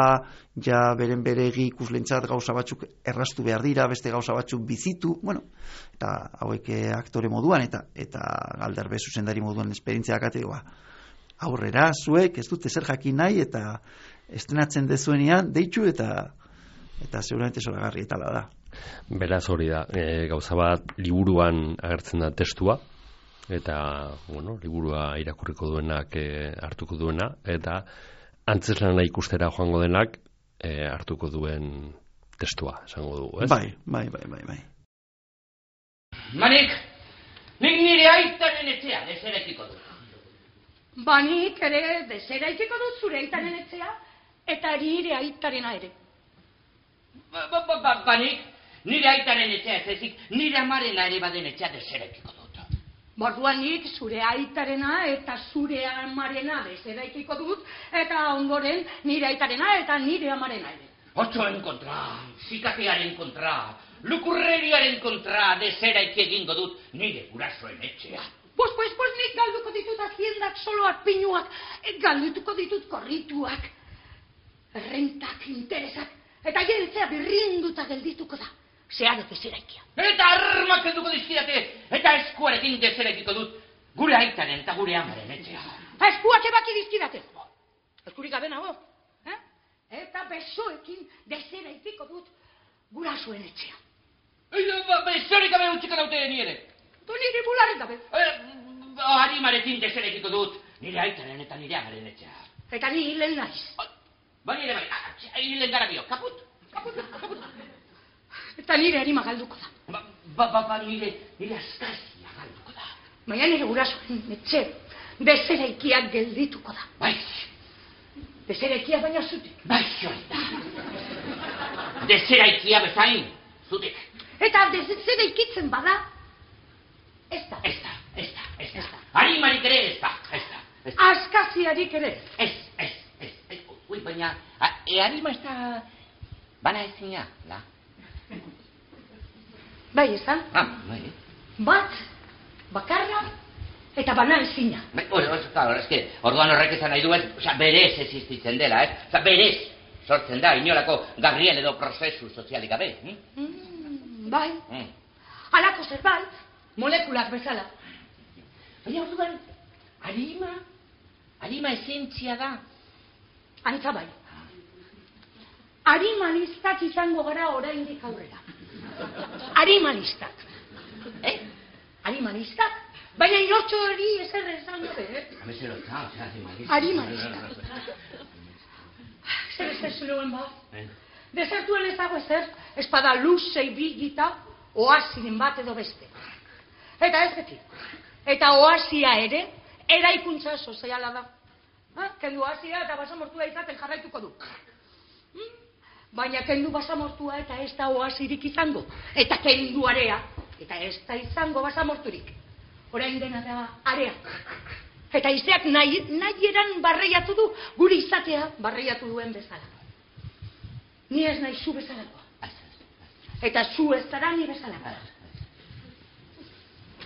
S4: ja beren beregi ikuslentzat gauza batzuk erraztu behar dira, beste gauza batzuk bizitu, bueno, eta hauek aktore moduan eta eta Galderbe zuzendari moduan esperientzia akategoa. Aurrera, zuek ez dute zer jakin nahi eta estrenatzen dezuenean deitu eta eta seguramente zoragarri etala da.
S2: Beraz hori da, e, gauza bat liburuan agertzen da testua, eta, bueno, liburua irakurriko duenak e, hartuko duena, eta antzeslana ikustera joango denak e, hartuko duen testua, esango dugu, ez?
S4: Bai, bai, bai, bai, bai.
S10: Manik, nik nire aitaren etxea deseraikiko dut.
S9: Ba nik ere deseraikiko dut zure aitaren etxea, eta nire aitarena ere.
S10: Ba, ba, ba, ba, ba nik, nire aitaren etxea ez ezik, nire amarena ere baden etxea deseraikiko dut.
S9: Borduan nik zure aitarena eta zure amarena deseraikiko dut, eta ondoren nire aitarena eta nire amarena ere.
S10: Otsoen kontra, zikatearen kontra, lukurreriaren kontra deseraiki egingo dut nire gurasoen etxea.
S9: Pues, pues, pues, nik galduko ditut haziendak, soloak, pinuak, galdutuko ditut korrituak, rentak, interesak, eta jeltzea birrinduta geldituko da. Zeharo deseraikia.
S10: Eta armak helduko dizkidate, eta eskuarekin deseraikiko dut gure aitaren eta gure amaren etxea.
S9: Eskuak ebaki dizkidate. Eskurik gabe nago. Eh? Eta besoekin deseraikiko dut gurasoen etxea.
S10: Eta besorik gabe utziko daute ni ere.
S9: Tu nire bularrik gabe.
S10: Eh, harimarekin deseraikiko dut nire aitaren eta nire amaren etxea.
S9: Eta ni hilen naiz.
S10: Ba nire bai, hilen gara bio, kaput, kaput, kaput.
S9: Eta nire harima galduko da.
S10: Ba, ba, ba, ba nire, nire askazia galduko da.
S9: Baina nire gurasoen etxe, deseraikiak geldituko da.
S10: Bai.
S9: Deseraikia baina zutik.
S10: Bai, hori da. Deseraikia bezain, zutik.
S9: Eta deseraikitzen bada, ez da.
S10: Ez da, ez da, ez da. Harimarik ere ez da, ez da.
S9: Askaziarik ere.
S10: Ez, ez, ez, ez. Ui, baina, e harima ez da bana ezina, la?
S9: Bai, ez da?
S10: Ah, bai.
S9: Bat, bakarra, eta bana ezina.
S10: Bai, hori, hori, claro, eske, orduan horrek esan nahi duen, oza, berez existitzen dela, eh? Oza, berez sortzen da, inolako gabriel edo prozesu sozialik gabe. Hm?
S9: Mm, bai.
S10: Mm.
S9: Halako zerbait, molekulak bezala.
S10: Baina orduan, harima, harima esentzia da.
S9: Antza bai. Arimanistak izango gara oraindik aurrera. Arimanistak. Eh? Arimanistak? Baina inotxo hori ezer esan gabe, eh?
S10: Hamezero eta, osea, arimanistak.
S9: Arimanistak. Zer ezer zuen ba? Desertuen ez dago ezer, espada luzei bilgita, oasiren bat edo beste. Eta ez beti. Eta oasia ere, eraikuntza soziala da. Ha? Kendu oasia eta basamortua izaten jarraituko du. Hmm? Baina kendu basamortua eta ez da oasirik izango. Eta kendu area, eta ez da izango basamorturik. orain dena da area. Eta izeak nahi, nahi eran barreiatu du, gure izatea barreiatu duen bezala. Ni ez nahi zu bezalako. Eta zu ez zara ni bezalako.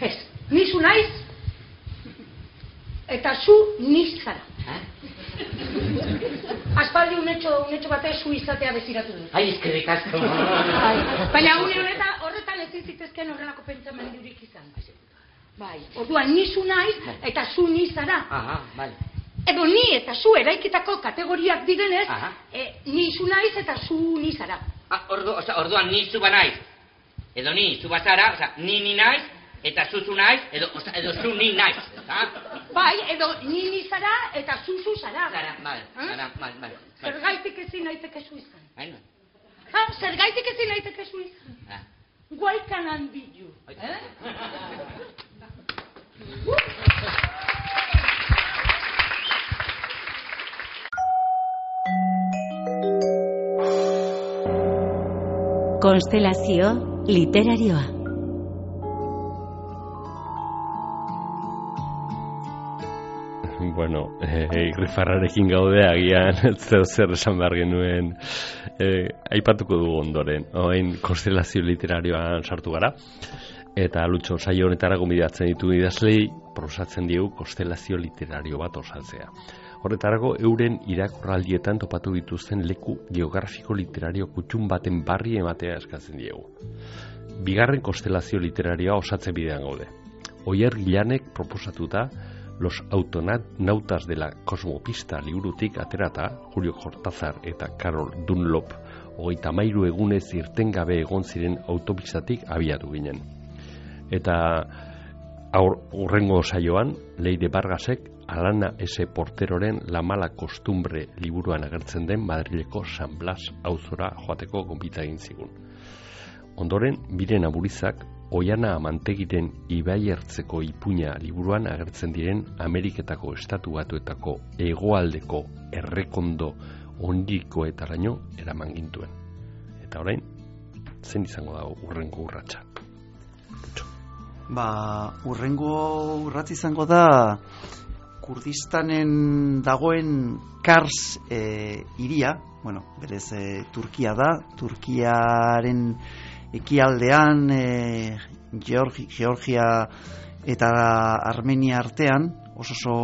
S9: Ez, ni zu naiz, eta zu ni zara. Aspaldi unetxo, unetxo batez zu izatea beziratu du.
S10: Ai, eskerrik asko.
S9: Baina une horretan, horretan ez zitezken horrelako pentsamendurik izan. Bai, orduan ni zu naiz eta zu ni zara.
S10: Aha, bai.
S9: Edo ni eta zu eraikitako kategoriak direnez, e, ni zu naiz eta zu ni zara.
S10: Ah, ordu, oza, orduan ni zu ba naiz. Edo ni zu bazara, oza, ni ni naiz, eta zu zu naiz, edo, oza, edo zu ni naiz.
S9: Bai, edo ni ni zara eta zu zu zara.
S10: Zara, bai, zara, bai, bai.
S9: Zergaitik ezin naiteke zu izan.
S10: Baina.
S9: Ha, zergaitik ezin naiteke zu izan. Guaikan handilu. Eh?
S1: Konstelazio literarioa.
S2: Bueno, eh, irrifarrarekin gaude agian zer zer esan behar genuen eh, aipatuko dugu ondoren. Oain konstelazio literarioan sartu gara. Eta Lutxo saio honetara gonbidatzen ditu idazlei proposatzen diegu konstelazio literario bat osatzea. Horretarako euren irakurraldietan topatu dituzten leku geografiko literario kutxun baten barri ematea eskatzen diegu. Bigarren konstelazio literarioa osatzen bidean gaude. Oier Gilanek proposatuta Los autonautas de la Cosmopista liburutik aterata Julio Cortázar eta Carol Dunlop hogeita hamairu egunez irtengabe egon ziren autopistatik abiatu ginen. Eta hurrengo saioan Leire Vargasek Alana S. Porteroren La mala costumbre liburuan agertzen den Madrileko San Blas auzora joateko gonbita egin zigun. Ondoren, Miren Aburizak Oiana Amantegiren Ibaiertzeko ipuina liburuan agertzen diren Ameriketako estatu batuetako hegoaldeko errekondo ondikoetaraino eraman gintuen. Eta orain, zen izango da hurrengo urratsa?
S4: Ba, hurrengo urratsa izango da Kurdistanen dagoen Kars e, iria, bueno, berez e, Turkia da, Turkiaren ekialdean e, Georgi, Georgia eta Armenia artean, oso oso,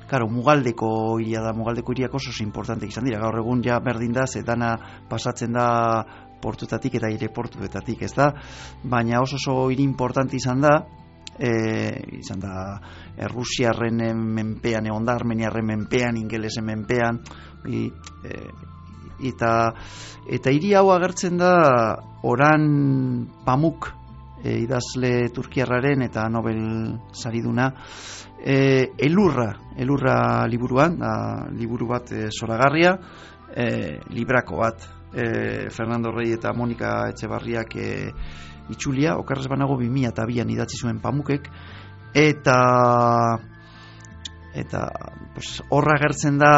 S4: claro, mugaldeko iria da, mugaldeko iriak oso oso importante izan dira, gaur egun ja berdin da, zetana pasatzen da portuetatik eta aireportuetatik, ez da, baina oso oso hiri importante izan da, e, izan da Errusiarren menpean, egon da Armeniarren menpean, ingelesen menpean, i, e, eta eta hiri hau agertzen da Oran Pamuk e, idazle turkiarraren eta Nobel sariduna e, elurra elurra liburuan da, liburu bat e, zoragarria e, librako bat e, Fernando Rey eta Monika Etxebarriak e, itxulia, okarrez banago bi mila bian idatzi zuen Pamukek eta eta pues, horra agertzen da.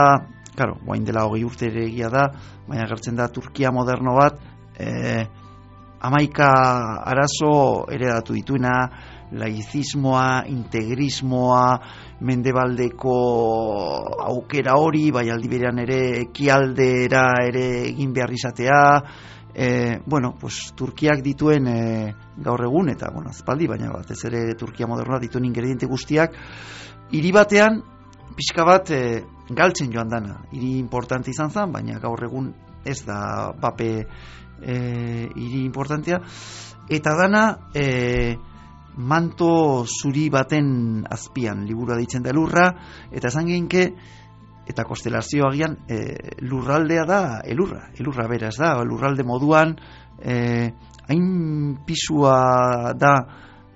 S4: Claro, guain dela hogei urte ere egia da, baina agertzen da Turkia moderno bat, eh, hamaika arazo heredatu dituena, laizismoa, integrismoa, mendebaldeko aukera hori, bai aldi berean ere ekialdera ere egin behar izatea, eh, bueno, pues Turkiak dituen eh, gaur egun, eta bueno, azpaldi, baina batez ere Turkia modernoa dituen ingrediente guztiak, hiri batean, pixka bat e, galtzen joan dana, hiri importante izan zen, baina gaur egun ez da bape e, hiri importantea, eta dana e, manto zuri baten azpian, liburua ditzen da elurra, eta esan geinke, eta konstelazio agian e, lurraldea da elurra, elurra beraz da, lurralde moduan, e, hain pisua da,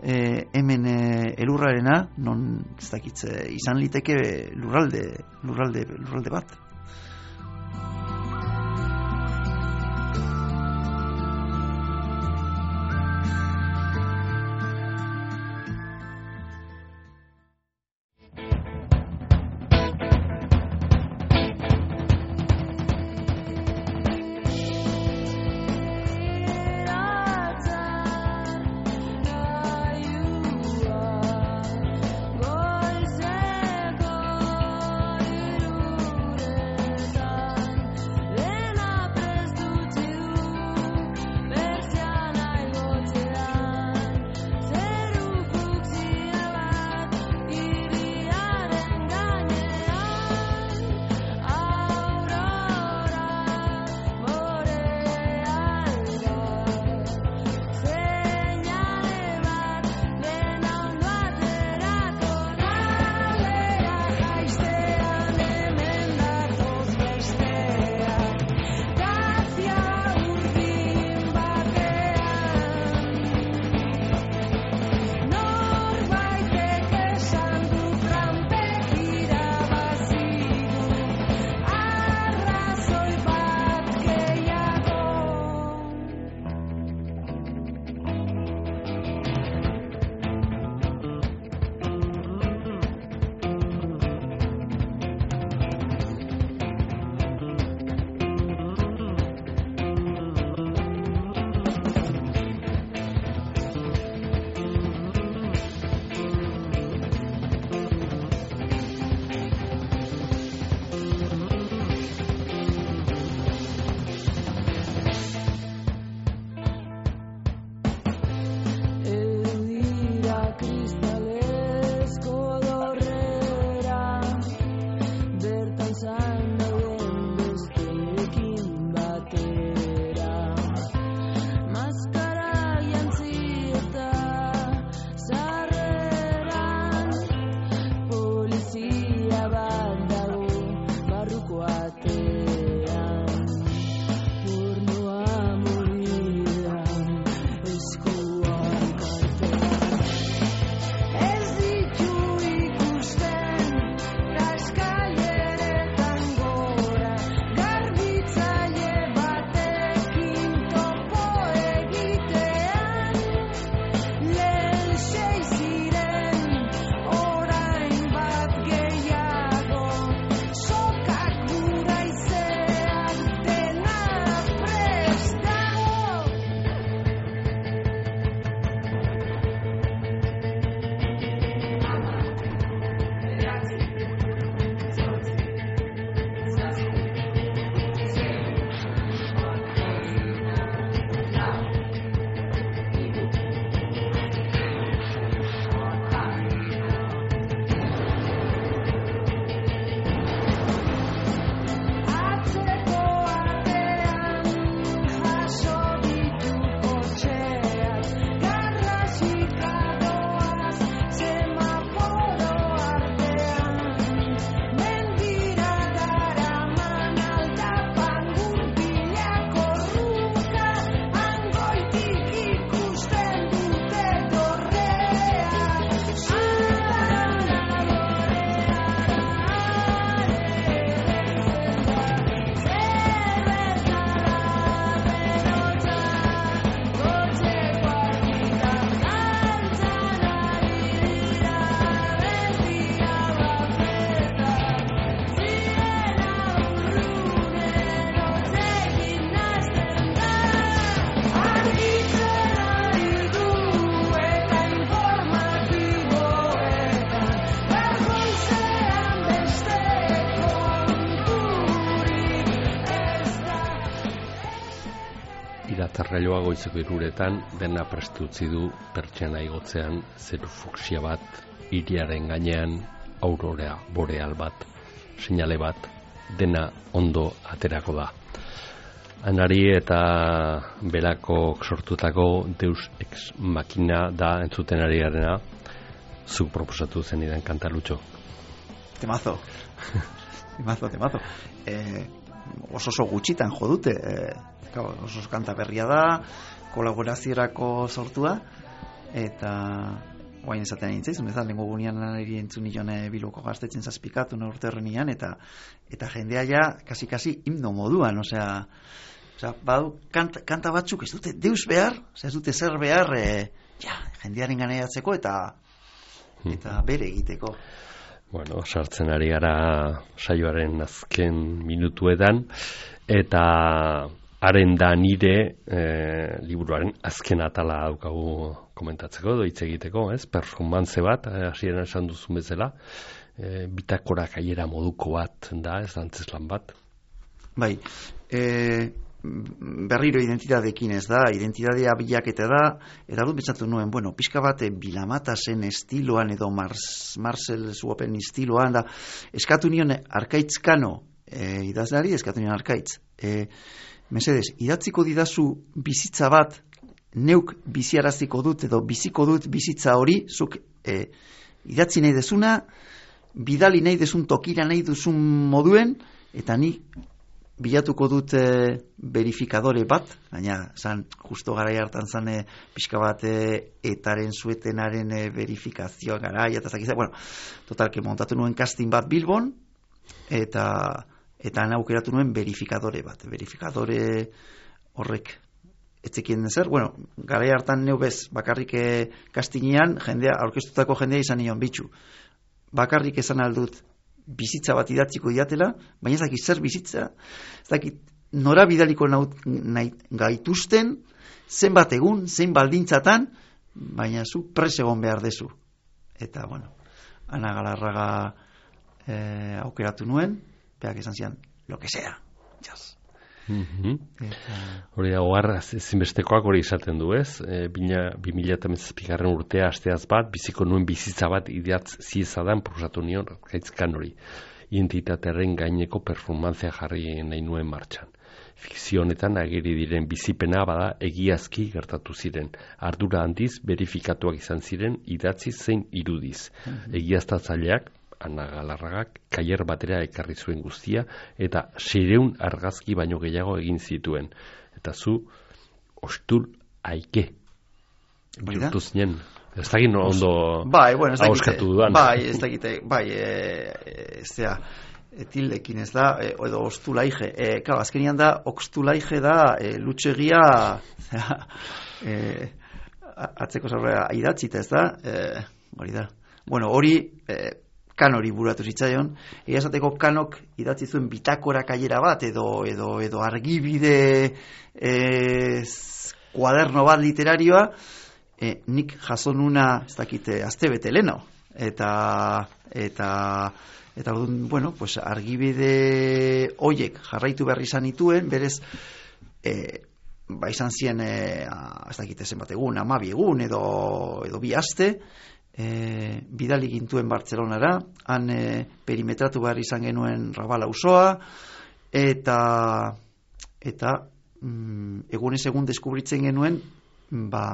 S4: E, hemen e, elurrarena, non ez dakitze izan liteke lurralde, lurralde, lurralde bat.
S2: atzarrailoa goizeko iruretan dena prest utzi du pertsiana igotzean zeru fuksia bat, hiriaren gainean aurora boreal bat, seinale bat, dena ondo aterako da. Anari eta Belako sortutako Deus Ex Machina da entzuten ari garena, zuk proposatu zenidan kantalutxo.
S4: Temazo. temazo, temazo. Eh, oso oso gutxitan jo dute. Eh, oso oso kanta berria da, kolaboraziorako sortua, eta guain esaten nintzaizun, ez da, lengo gunean lanari entzun nion Bilboko Gaztetzen zazpikatu urte horrenian, eta eta jendea ja, kasi-kasi himno moduan, osea, osea badu, kanta, kanta batzuk ez dute deus behar, osea, ez dute zer behar, e, ja, jendearen ganeiatzeko eta eta bere egiteko.
S2: Bueno, sartzen ari gara saioaren azken minutuetan, eta haren da nire e, liburuaren azken atala daukagu komentatzeko, doitz egiteko, ez? Performance bat, hasieran esan duzun bezala, e, bitakora kaiera moduko bat da, ez da antzeslan bat.
S4: Bai, e, berriro identitateekin ez da, identitatea bilaketa da, eta dut pentsatu nuen, bueno, pixka bat Bilamatasen estiloan edo Mars, Marcel Zuopen estiloan da, eskatu nion Arkaitzkano, e, idazleari eskatu nion Arkaitz, e, mesedes, idatziko didazu bizitza bat, neuk biziaraziko dut edo biziko dut bizitza hori, zuk e, idatzi nahi dezuna, bidali nahi dezun tokira nahi duzun moduen, eta ni bilatuko dut e, verifikadore bat, baina zan, justo garai hartan zan e, pixka bat e, etaren zuetenaren e, verifikazioa garai, eta zakizak, bueno, totalke montatu nuen casting bat Bilbon, eta eta aukeratu nuen verifikadore bat, verifikadore horrek etzekien zer, bueno, garai hartan neu bez, bakarrik e, kastinean, jendea, aurkeztutako jendea izan nion bitxu. Bakarrik esan aldut bizitza bat idatziko diatela, baina ez dakit zer bizitza, ez dakit nora bidaliko naut, nahi, gaituzten, zenbat egun, zein baldintzatan, baina zu pres egon behar dezu. Eta, bueno, Ana Galarraga e, aukeratu nuen, beak esan zian, lo que sea, jaz.
S2: Mm-hmm. Hori da, oharra zinbestekoak hori izaten du, ez? E, bi mila hamazazpigarren urtea asteaz bat, biziko nuen bizitza bat idatz ziezadan proposatu nion Arkaitzkan hori. Identitatearen gaineko performantzia jarri nahi nuen martxan. Fikzio honetan ageri diren bizipena bada egiazki gertatu ziren. Ardura handiz verifikatuak izan ziren idatzi zein irudiz. Mm-hmm. Egiaztatzaileak Ana Galarragak kaier batera ekarri zuen guztia eta seiehun argazki baino gehiago egin zituen. Eta zu ostul aike. Bihurtu zinen. Ez dakit no ondo
S4: bai, bueno,
S2: hauskatu dudan.
S4: Bai, ez dakit, bai, ez da, tildekin ez da, edo ostulaige. E, Kau, azkenian da, ostulaige da, e, lutxegia, e, atzeko zaurea idatzita ez da, e, hori da. Bueno, hori, e, kanori buratu zitzaion, egia esateko kanok idatzi zuen bitakora kaiera bat, edo, edo, edo argibide e, kuaderno bat literarioa, e, nik jaso nuna, ez dakite, astebete leno, eta, eta, eta, bueno, pues argibide hoiek jarraitu berri izan ituen, berez, e, ba izan zien, e, ez dakite zenbat egun, hamabi egun, edo, edo bi aste, E, bidali gintuen Bartzelonara, han e, perimetratu behar izan genuen Rabala auzoa, eta eta mm, egunez egun deskubritzen genuen ba,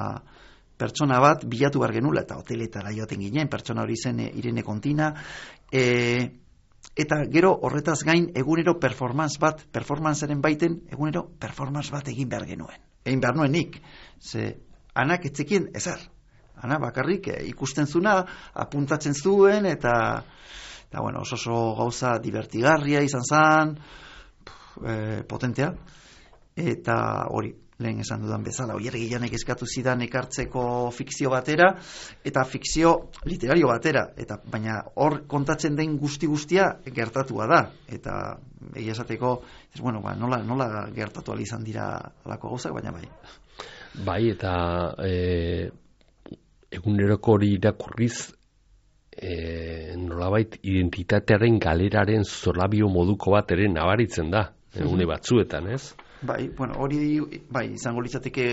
S4: pertsona bat bilatu behar genula, eta hoteletara joaten ginen, pertsona hori zen e, Irene Kontina, e, eta gero horretaz gain egunero performance bat, performancearen baiten egunero performance bat egin behar genuen, egin behar nuen nik, ze Anak etzekien ezer. Ana, bakarrik eh, ikusten zuna, apuntatzen zuen, eta, eta bueno, oso oso gauza divertigarria izan zen, eh, potentea, eta hori, lehen esan dudan bezala, oier gilanek eskatu zidan ekartzeko fikzio batera, eta fikzio literario batera, eta baina hor kontatzen den guzti-guztia gertatua da, eta egia esateko, ez, bueno, ba, nola, nola gertatu ali izan dira alako gauzak, baina bai.
S2: Bai, eta e, eguneroko hori irakurriz e, nolabait identitatearen galeraren zorabio moduko bat ere nabaritzen da, egune batzuetan, ez?
S4: Bai, bueno, hori bai, izango litzateke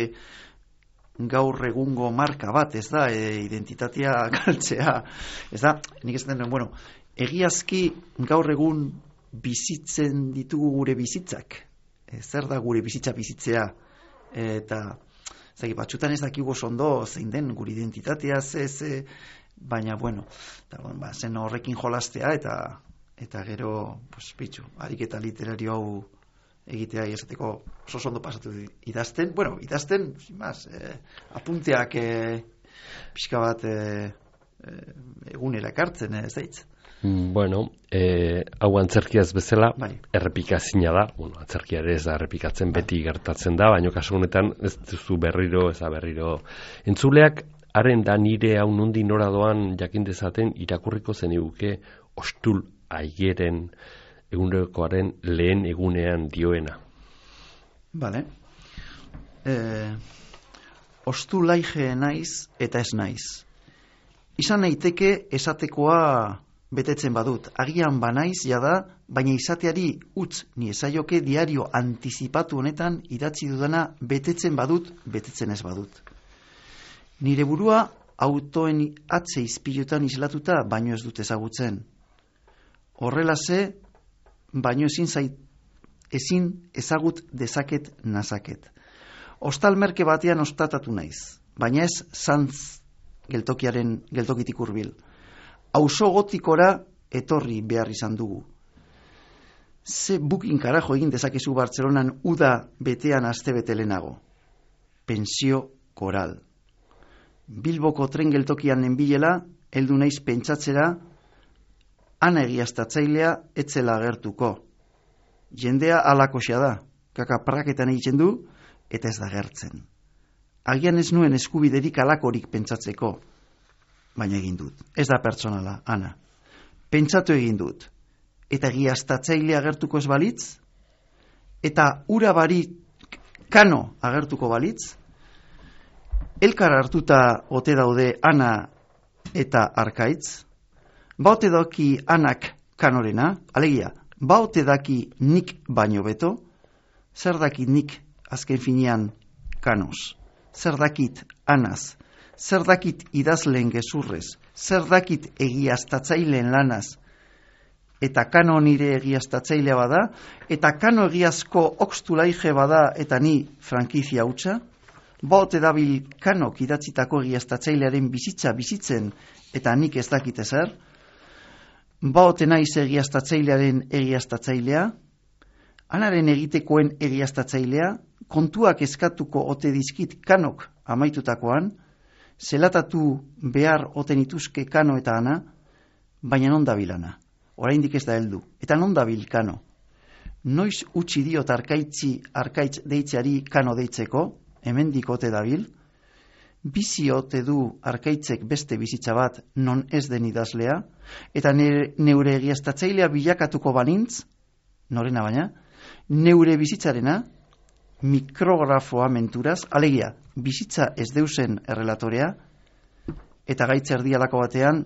S4: gaur egungo marka bat, ez da, e, identitatea galtzea, ez da, nik ez den, bueno, egiazki gaur egun bizitzen ditugu gure bizitzak, e, zer da gure bizitza bizitzea, eta zaki, batxutan ez dakigu ondo zein den gure identitatea, ze, ze, baina, bueno, eta, bueno, ba, zen horrekin jolastea, eta eta gero, pues, bitxu, ariketa literario hau egitea esateko oso ondo pasatu idazten, bueno, idazten, sin más, eh, apunteak eh, pixka bat eh, egunera ekartzen, ez daitz.
S2: Bueno, eh, hau antzerkiaz bezala,
S4: bai.
S2: Errepikazina da, bueno, antzerkia ere ez da errepikatzen, bai. Beti gertatzen da, baina kasu honetan ez duzu berriro, ez da berriro. Entzuleak, haren da nire hau nundi nora doan jakin dezaten irakurriko zeniguke ostul aigeren egunekoaren lehen egunean dioena.
S4: Vale. Eh, ostu laige naiz eta ez naiz. Izan naiteke esatekoa betetzen badut. Agian banaiz jada, baina izateari utz ni esaioke diario antizipatu honetan idatzi dudana betetzen badut, betetzen ez badut. Nire burua autoen atze izpilutan islatuta baino ez dut ezagutzen. Horrela ze, baino ezin zait, ezin ezagut dezaket nazaket. Ostal merke batean ostatatu naiz, baina ez zantz geltokiaren geltokitik hurbil. Auzo gotikora etorri behar izan dugu. Ze bukin karajo egin dezakezu Bartzelonan uda betean astebete lehenago. Pentsio koral. Bilboko tren geltokian nenbilela, heldu naiz pentsatzera, ana egiaztatzailea etzela agertuko. Jendea alakoxea da, kaka praketan egiten du, eta ez da gertzen. Agian ez nuen eskubiderik alakorik pentsatzeko, baina egin dut. Ez da pertsonala, ana. Pentsatu egin dut. Eta egiaztatzailea agertuko ez balitz, eta ura bari kano agertuko balitz, elkar hartuta ote daude ana eta arkaitz, baote daki anak kanorena, alegia, baote daki nik baino beto, zer dakit nik azken finean kanos, zer dakit anaz, zer dakit idazleen gezurrez, zer dakit egiaztatzaileen lanaz, eta kano nire egiaztatzailea bada, eta kano egiazko oxtulaige bada eta ni frankizia hutsa, baote dabil kanok idatzitako egiaztatzailearen bizitza bizitzen eta nik ez dakit ezer, baote naiz egiaztatzailearen egiaztatzailea, anaren egitekoen egiaztatzailea, kontuak eskatuko ote dizkit kanok amaitutakoan, zelatatu behar oten ituzke kano eta ana, baina non dabil ana, oraindik ez da heldu, eta non dabil kano. Noiz utzi diot arkaitzi arkaitz deitzeari kano deitzeko, hemendik ote dabil, bizi ote du arkaitzek beste bizitza bat non ez den idazlea, eta neure egiaztatzailea bilakatuko banintz, norena baina, neure bizitzarena, mikrografoa menturaz, alegia, bizitza ez deusen errelatorea, eta gaitz erdialako batean,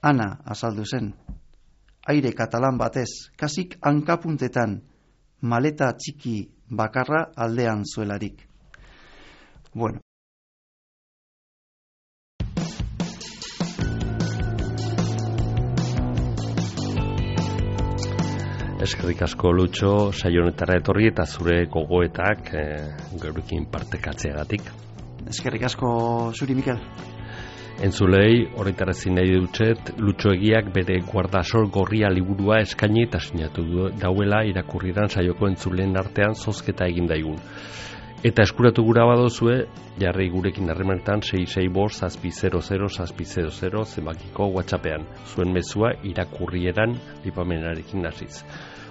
S4: ana azaldu zen. Aire katalan batez, kasik hankapuntetan, maleta txiki bakarra aldean zuelarik. Bueno.
S2: Eskerrik asko Lutxo, saio honetara etorri eta zure gogoetak e, geurekin partekatzeagatik.
S4: Eskerrik asko zuri, Mikel.
S2: Entzulei, horretarazi nahi dutxet, Lutxo Egiak bere Guardasol gorria liburua eskaini eta sinatu dauela irakurriran saioko entzuleen artean zozketa egin daigun. Eta eskuratu gura badozue, jarri gurekin harremanetan sei sei bost zazpi zero zero zazpi zero zero zenbakiko WhatsAppean. Zuen mezua irakurrieran lipamenarekin hasiz.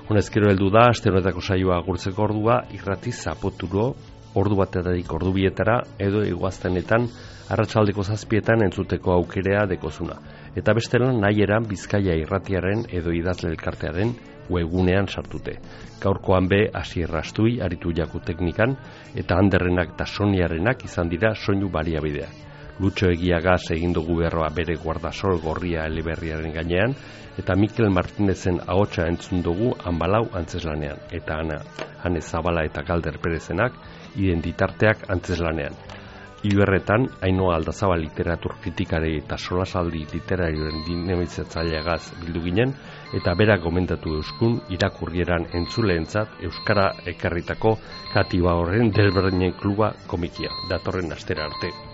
S2: Honezkero heldu da, aste honetako saioa agurtzeko ordua, irratiz zapoturo, ordu batetatik ordu bietara, edo iguaztenetan, arratsaldeko zazpietan entzuteko aukerea dekozuna. Eta bestelan nahieran Bizkaia irratiaren edo idazle elkartearen webgunean sartute. Gaurkoan be Asier Rastui aritu jaku teknikan, eta Anderrenak eta Soniarenak izan dira soinu baliabideak. Lutxo Egiagaz egin dugu berroa bere guardasol gorria eleberriaren gainean, eta Mikel Martinezen ahotsa entzun dugu Hanbalau antzeslanean, eta Ana, Hane Zabala eta Galder Perezenak identitarteak antzeslanean. Iberretan, Ainhoa Aldazabal literatur kritikari eta solasaldi literarioen dinamizatzaileagaz bildu ginen, eta berak gomendatu euskun irakurrieran entzuleentzat euskara ekarritako Kati Baorren Desberdinen kluba komikia, datorren astera arte.